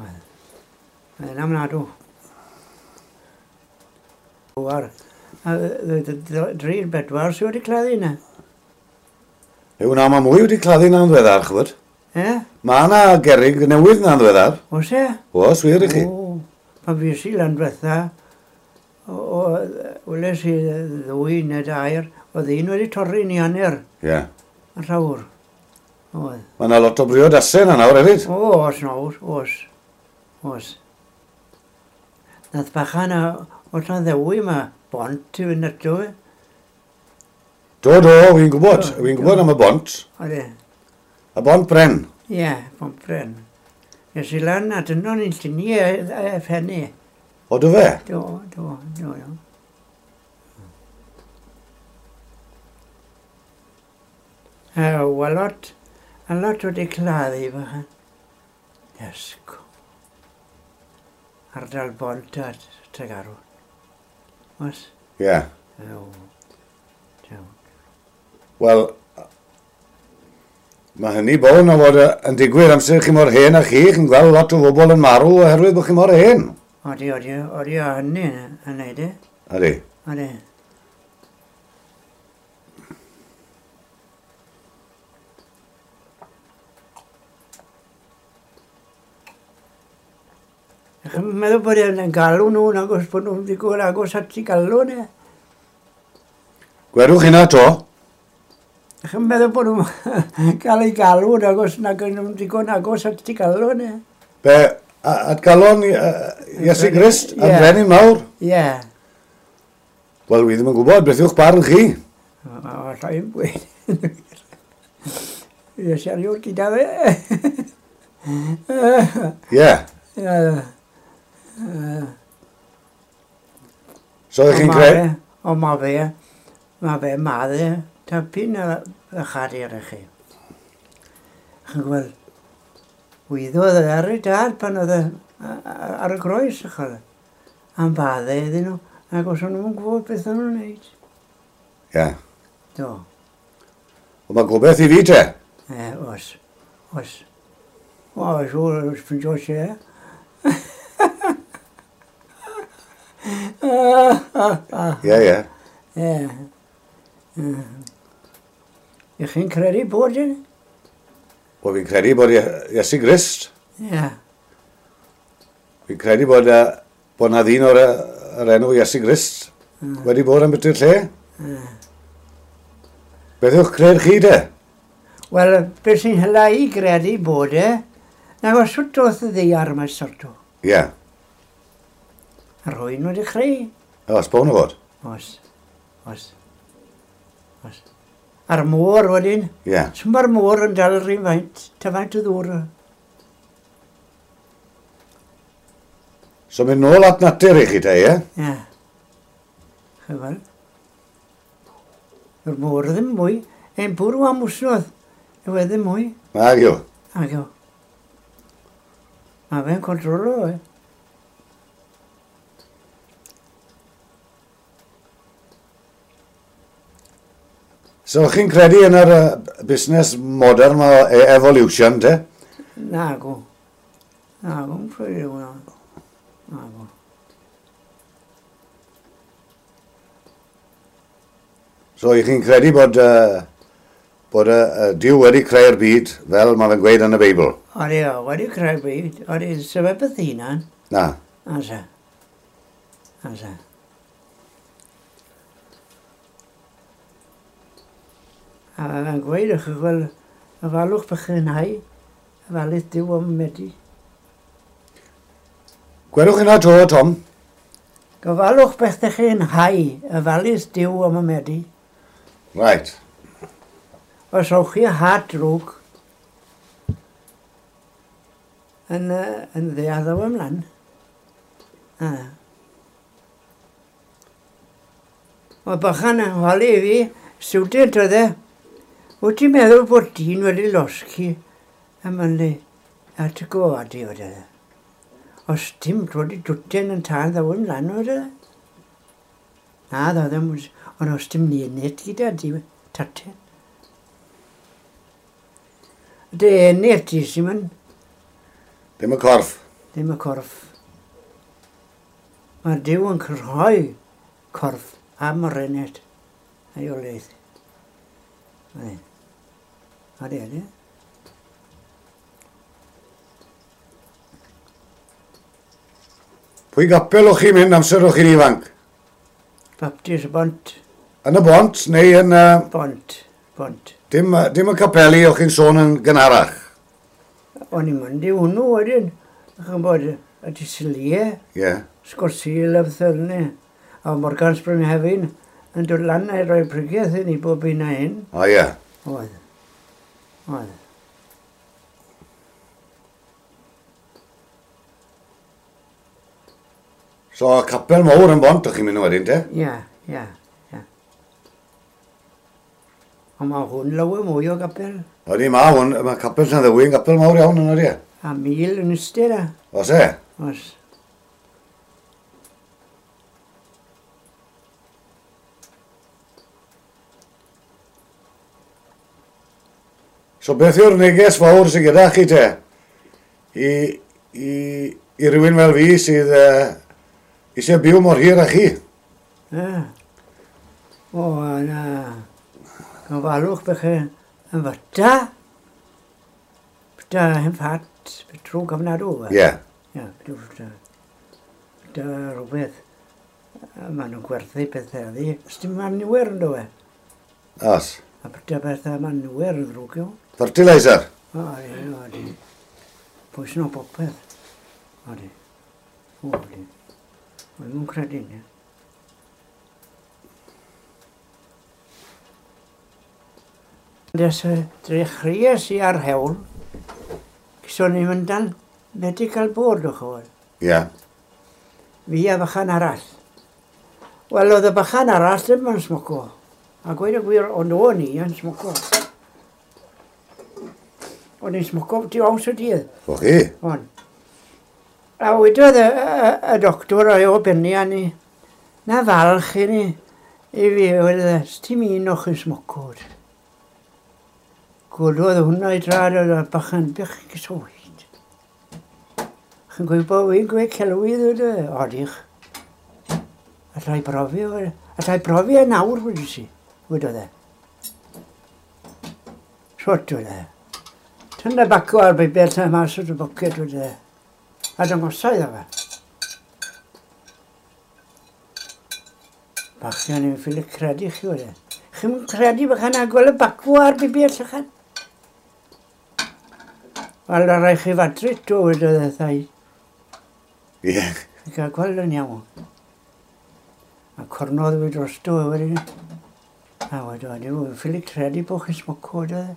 Oedd. Oedd yna mnadw. War. A dri'r bedwar sydd wedi claddu yna. Yw na, mae mwy wedi claddu na'n ddiweddar, chwbod. E? Mae yna gerrig newydd na'n ddiweddar. Oes e? Oes, wir i chi. O, pan fues i lan diwetha, weles i ddwy neu dair, oedd un wedi torri ni hanner. Ie. Yn llawr. Oedd. Mae yna lot o briodasau yna nawr hefyd. O, oes nawr, oes. Oes. Nath bachan o Llanddewi yma, bont i fynd ato fe. Do, do, fi'n gwybod. Fi'n gwybod am y bont. Odi. Y bont bren. Ie, bont bren. Nes i lan a dyno ni'n lluniau e, e phenni. O, do fe? Do, do, do, do. E, a lot, a lot wedi claddu bachan. Iesgo. Ardal bont a Tregarw. Oes? Ie. Yeah. O, Wel, mae hynny bown o fod yn digwydd amser chi mor hen a chi, chi'n gweld lot o bobl yn marw oherwydd bod chi mor hen. Odi, odi, odi, a hynny yn neud e. Odi. Odi. Chi'n meddwl bod e'n galw nhw, nagos bod nhw'n ddigon agos at i galw ne? Gwerwch hynna to. Chi'n meddwl bod nhw'n cael ei galw, nagos nag nhw'n digon agos at i galw ne? Be, at galon Iesu Grist, at brenin mawr? Ie. Wel, wi ddim yn gwybod, beth yw'ch barn chi? Alla i'n gweud. Iesu erioed gyda fe. Ie. So ydych chi'n credu? O, ma fe, ma fe madde, tapyn a chadir i chi. Chi'n gweld, wyddodd ar ei dad pan oedd ar y groes, chwarae. Am fadde iddyn nhw, ac os o'n nhw'n gwybod beth o'n nhw'n wneud. Ie. Do. Ond mae gobeith i fi te? E, oes, oes. O, siŵr, ffindio lle. Ie, ie. Ie. Ych chi'n credu bod yn? Wel, fi'n credu bod Iesu Grist. Ie. Fi'n credu bod, bod na ddyn o'r yr enw Iesu Grist mm. wedi bod yn byty'r lle. Mm. Beth yw'ch cred chi de? Wel, beth sy'n hyla i gredu bod e, nag os sut doth y ddaear yma sorto. Ie. Yeah. A rwy'n wedi chreu. Oes, bown o fod? Oes, oes, oes. A'r môr wedyn. Ie. Yeah. So mae'r môr yn dal yr un faint, ta faint o ddŵr. So mynd nôl at natur i chi te, ie? Ie. Chyfal. Yw'r môr ddim mwy. Ein bwrw am wsnodd. Yw e ddim mwy. Ag yw. Ag yw. Mae fe'n controlo, e. So chi'n credu yn yr uh, busnes modern o evolution, te? Nago. Nago, yn credu hwnna. Nago. So, chi'n credu bod uh, bod y, y Duw wedi creu'r byd fel mae fe'n gweud yn y Beibl. Odi, o, wedi creu'r byd. Odi, sef e beth hunan. Na. Asa. Asa. A fe'n gweud, ych wel, y falwch bych chi'n hau, y falydd Duw am medi. Gwelwch hynna to, Tom. Gofalwch beth ych chi'n hau, y falydd Duw am y medi. Right. Os o'ch chi had drwg yn, yn ddeall o ymlaen. A. Mae bychan yn holi i fi, student oedd e, wyt ti'n meddwl bod dyn wedi losgi am ynnu at y gofadu oedd e? Os dim dod i dwtyn yn tân ddaw ymlaen oedd e? Na, ddaw ddim, ond os dim nienet gyda di tatyn. Dy ennill ti sy'n mynd. Ddim y corff. Ddim y corff. Mae Duw yn creu corff am yr ened a'i oleith. Odi. Odi, odi. Pwy gapel o'ch chi'n mynd amser o'ch chi'n ifanc? Baptist Bont. Yn y Bont neu yn... Uh... Bont, Bont. Dim, dim y capeli o'ch chi'n sôn yn gynharach? O'n i'n mynd i hwnnw wedyn. Chi'n bod y Disilie. Ie. Yeah. Sgorsil a beth fel 'ny. A Morgan Spring Hefin yn dod lan a rhoi prygeth i ni bob un a hyn. O ie. Yeah. Oedd. Oedd. So, capel mawr yn Bont o'ch chi'n mynd wedyn, te? Ie, ie. Ond mae hwn lawer mwy o gapel. Odi, mae hwn, mae capel Llanddewi yn gapel mawr iawn yn odi. A mil yn ystod a. Oes e? Oes. So beth yw'r neges fawr sydd gyda chi te? I, i, i rywun fel fi sydd uh, eisiau byw mor hir â chi? Ie. O, na. Gofalwch bych chi yn fyta, byta hen ffat, byta drwg ofnadw. Ie. Ie, byta, byta rhywbeth. Maen nhw'n gwerthu pethau ddi. Os dim manwer yn dod e. Os. A byta pethau manwer yn ddrwg yw. Fertilizer. O, ie, o, di. Pwysyn o popeth. O, di. O, di. O, ddim yn credu, ne. Des y drechreuais i ar hewl, so ni'n mynd dan medical board o'ch oedd. Ie. Yeah. Fi a bychan arall. Wel, oedd y bychan arall ddim yn smoco. A gweud y gwir, ond o'n i yn smoco. O'n i'n smoco tu ows y dydd. O chi? On. A wedodd y, y, y doctor o'i o benni a ni, na falch i ni, i fi, wedodd e, dim un o'ch yn smoco. Gwrdodd hwnna i drad oedd y bachan bych gyswyd. Chi'n gweud bod fi'n gweud celwydd oedd e? Odych. Allai brofi, allai brofi e nawr wedi si, wedodd e. Shwt oedd e. Tynna baco ar bibell na mas o'r boced oedd e. A dangosai iddo fe. Bachgen i'n ffili credu chi oedd e. Chi'n credu bychan a gweld y bacw ar bibell ychan? Wel, ar rai chi fadryd o wedodd e thai. Ie. I gael gweld yn iawn. A cornodd fi drosto e wedyn. A wedodd, dwi'n ffili credu bod chi'n smoco wedodd e.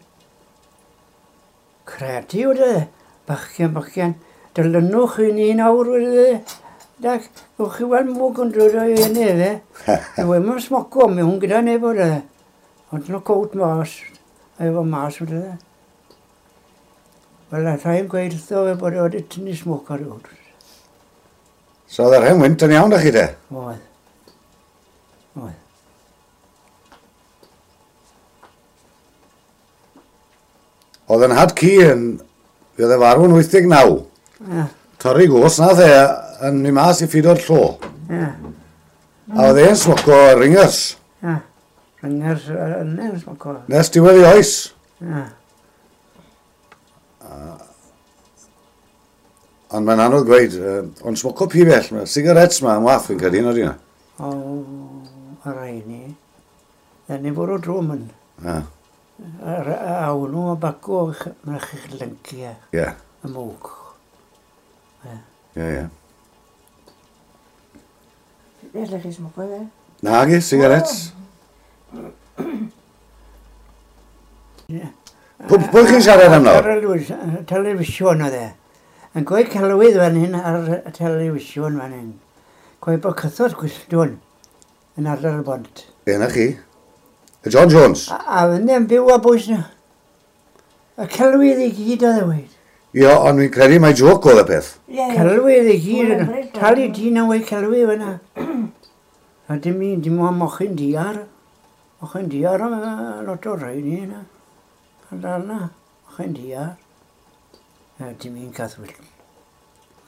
Credu wedodd e. Bachgen, bachgen, dylynwch i ni nawr wedodd e. Dag, gwch chi weld mwg yn dod o'i enw fe. Dwi ddim yn smoco, mi hwn gyda neb wedodd e. Ond nhw cowt mas, a efo mas wedodd e. Wel, a rhaid gweud wrtho fe bod e wedi tynnu smoc ar ôl. So oedd yr hen wynt yn iawn da chi de? Oedd. Oedd. Oedd yn had ci yn... Fe oedd e farw yn wyth deg naw. Ie. Torri gos nath e yn mynd mas i ffido'r llo. Ie. A oedd e'n smoco ringers. Ie. Rhyngers yna yn smoco. Nes diwedd i oes. Ie. Ond mae'n anodd gweud, ond smoco pibell, mae sigarets ma yn waff fi'n credu, nod yna. O, y rai ni. Dyn ni fwrw drwm yn. A. A hwnnw o baco, mae'n chi'ch lyncu e. Ie. Y mwg. Ie, ie. Beth chi smoco fe? Nagi, sigarets. Ie. Pwy chi'n siarad am nawr? Telefisiwn oedd e. Yn gweud celwydd fan hyn ar y telefisiwn fan hyn. Gweud bod cythod gwylltwn yn ardal y bont. Ie, na chi. Y John Jones. A, a fynd yn byw a bwys na. Y celwydd i gyd oedd e weid. Ie, ond fi'n credu mai joc oedd y peth. Ie, ie. Celwydd i gyd. Mae'n Talu dyn yn weid celwydd fyna. A dim un, dim ond mochyn diar. Mochyn diar am lot o'r rhai ni yna. Ardal na, mochyn diar. A dim un cath wyllt.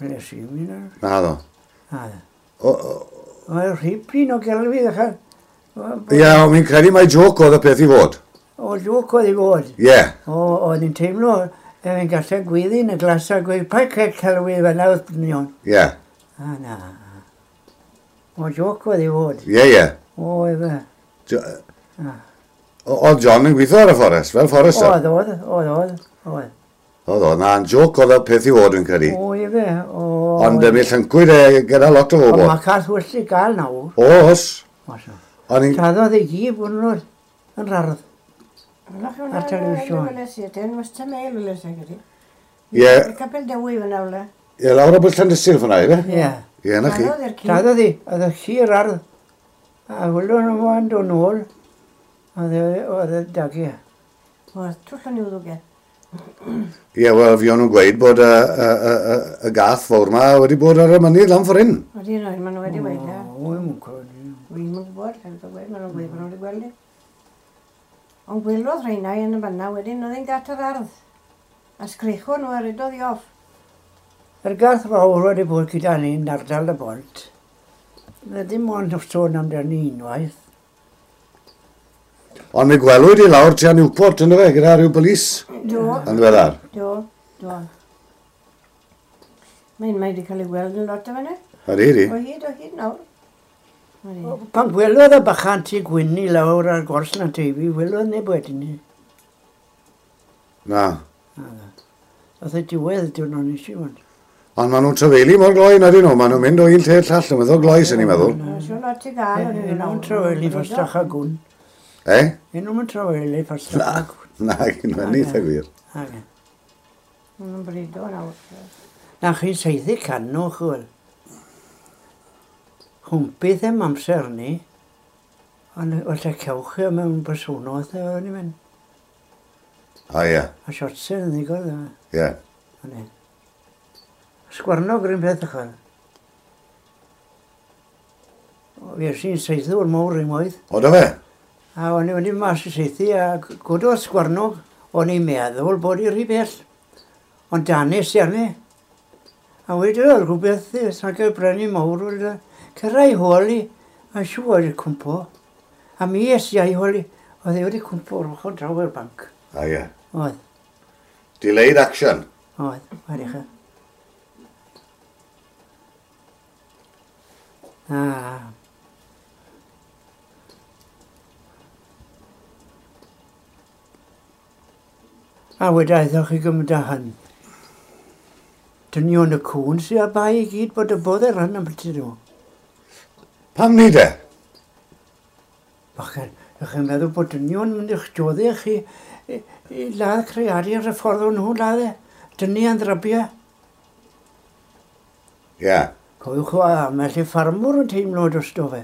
Wel, es i mi na. Na ddo. Na ddo. O, Oedd rhipyn o gelwydd achal. Ie, ond fi'n credu mai joc oedd y peth i fod. O, joc oedd i fod. Ie. O, oedd hi'n teimlo, efo'n gallu gwyddi yn y glas a gweud, pa cael celwydd fel awr dynion. Ie. A na. O, joc oedd i fod. Ie, ie. O, efe. Jo- Oedd John yn gweithio ar y fforest, fel forester? Oedd, oedd, oedd, oedd, oedd. Oedd, oedd, na'n joc oedd y peth i fod, fi'n credu. O, efe, o. Ond mi llyncwyd e gyda lot o Ond bobl. mae cath wyllt i gael nawr. Oes. Oes. O'n i'n... Taddodd ei gyd bod nhw'n yn rardd. Ar telefisiwn. Ie. Capel Dewi fyna wle. Ie, lawr o bwys Llandysul fyna, ife? Ie. Ie, na chi. Taddodd i'r ci. Taddodd hi, oedd y ci yr ardd. A wylwn nhw yn dod nôl. Oedd e- oedd e dagu. Oedd twll o'n i'w ddwg e. Ie, wel, fi o'n nhw'n gweud bod y, y, y, y, y gath fawr ma wedi bod ar y mynydd lan ffordd hyn. Wedi rhoi, maen nhw wedi weud e. O, wy'n credu. Wi'n yn gwybod, lle dwi'n gweud, maen nhw'n gweud bod nhw wedi gweld i. Ond gwelodd rheina yn y fanna wedyn, oedd hi'n gat yr ardd. A sgricho nhw a redodd i off. Yr gath fawr wedi bod gyda ni yn ardal y bont. Na dim ond sôn amdani unwaith. Ond mi gwelwyd i lawr tua Newport, ynddo fe, gyda rhyw polis Do, yn ddiweddar. do, do. Mae'n mae wedi cael ei weld yn lot o fanna. Ydy, ydy. O hyd, o hyd nawr. Ydi. Pan gwelodd y bachan tu gwyn i lawr ar gors na teifi, welodd neb wedyn ni. Na. Oedd y diwedd diwrnod nes i fod. Ond maen nhw'n trafeili mor gloi, na dyn nhw. Maen nhw'n mynd o un lle i'r llall, yn meddwl gloi, sy'n ni'n meddwl. Mae'n siŵr lot i gael. o'n i'n Yn nhw'n meddwl. trafeili ffastach a gwn. Eh? Yn nhw'n trafeili ffastach a gwn. Na, gyn nhw'n eitha gwir. Ag e. Maen nhw'n brido nawr. Na chi'n saethu canw, chwel. Chwmpydd em amser ni. Ond falle cewch chi mewn bysonodd, o'n i'n mynd. O ie, A siotsen yn ddigon, yma. ie. O'n i. Sgwarnog yr un peth ychwan. Fi es i'n saethu o'r mawr unwaith. O, do fe? A o'n i wedi mas i saethu a gododd sgwarnog, o'n i'n meddwl bod i rhy bell. Ond danis i arni. A wedyn oedd rhywbeth sa'n cael brynu mawr, wedyn cyrraedd i hôl i, a siŵr wedi cwmpo. A mi es i a'i hôl i, oedd e wedi cwmpo o'r ochr draw i'r banc. O ie. Oedd, Delayed action. oedd, wedi chi. A. A wedyn aethoch chi gymryd â hyn. Dynion y cŵn sydd â bai i gyd bod y bodd yr hyn am byti nhw. Pam ni de? Bachgen, ych chi'n meddwl bod dynion mynd i'ch joddi chi i, i ladd creadur ar y ffordd o'n nhw'n ladd e. Dynion ddrabiau. Ie. Cofiwch o ambell i ffarmwr yn teimlo drosto fe.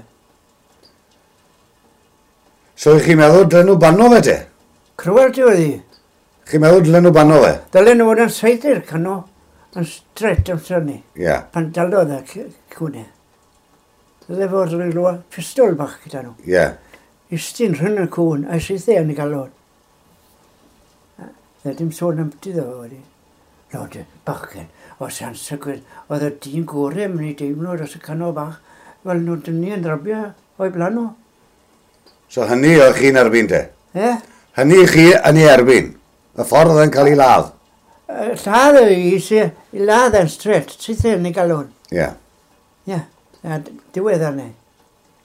So ych chi'n meddwl dylen nhw banno fe te? Cruelty oedd hi. Chi'n meddwl dylen nhw banno fe? Dylen nhw fod yn saethu'r cano yn stret amser ni. Ie. Pan dalodd y c- cwnau. Dyle fod rhyw pistol bach gyda nhw. Ie. Istyn rhwng y cwn a saethu yn y galon. Dde dim sôn am byti ddo fe wedi. Lord, bachgen, o sansygwyd, oedd y dyn gorau yn mynd i deimlo dros y cano bach, fel nhw dynnu yn drabio o'i blaen nhw. So hynny o'ch chi'n erbyn te? Ie? Hynny chi yn ei erbyn? Y ffordd yn cael ei ladd? Lladd y i, i ladd yn straight, syth yn ei galon. Ie. Ie, a diwedd arni.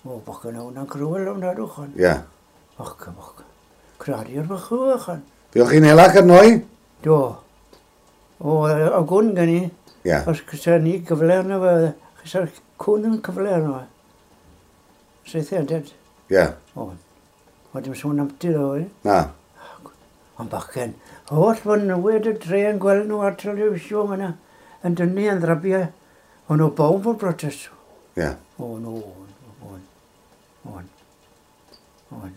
O, bach yn hwnna'n cruel o'n adwch hon. Ie. Och, och. Cradu'r bach o'ch hon. Fuoch chi'n hela cynoi? Do. O, o gwn gen i. Ie. Os cysa ni gyfle arno fe, cysa'r cwn yn cyfle arno fe. Syth yn ded. Ie. O, o dim sôn am ti ddo, eh? Na. Ond bachgen, holl fynywyd y dre yn gweld nhw ar telefisiwn yna, yn dynnu yn ddrabiau. O'n nhw bawb o'r protest. Ie. O, no, o'n, o'n, o'n.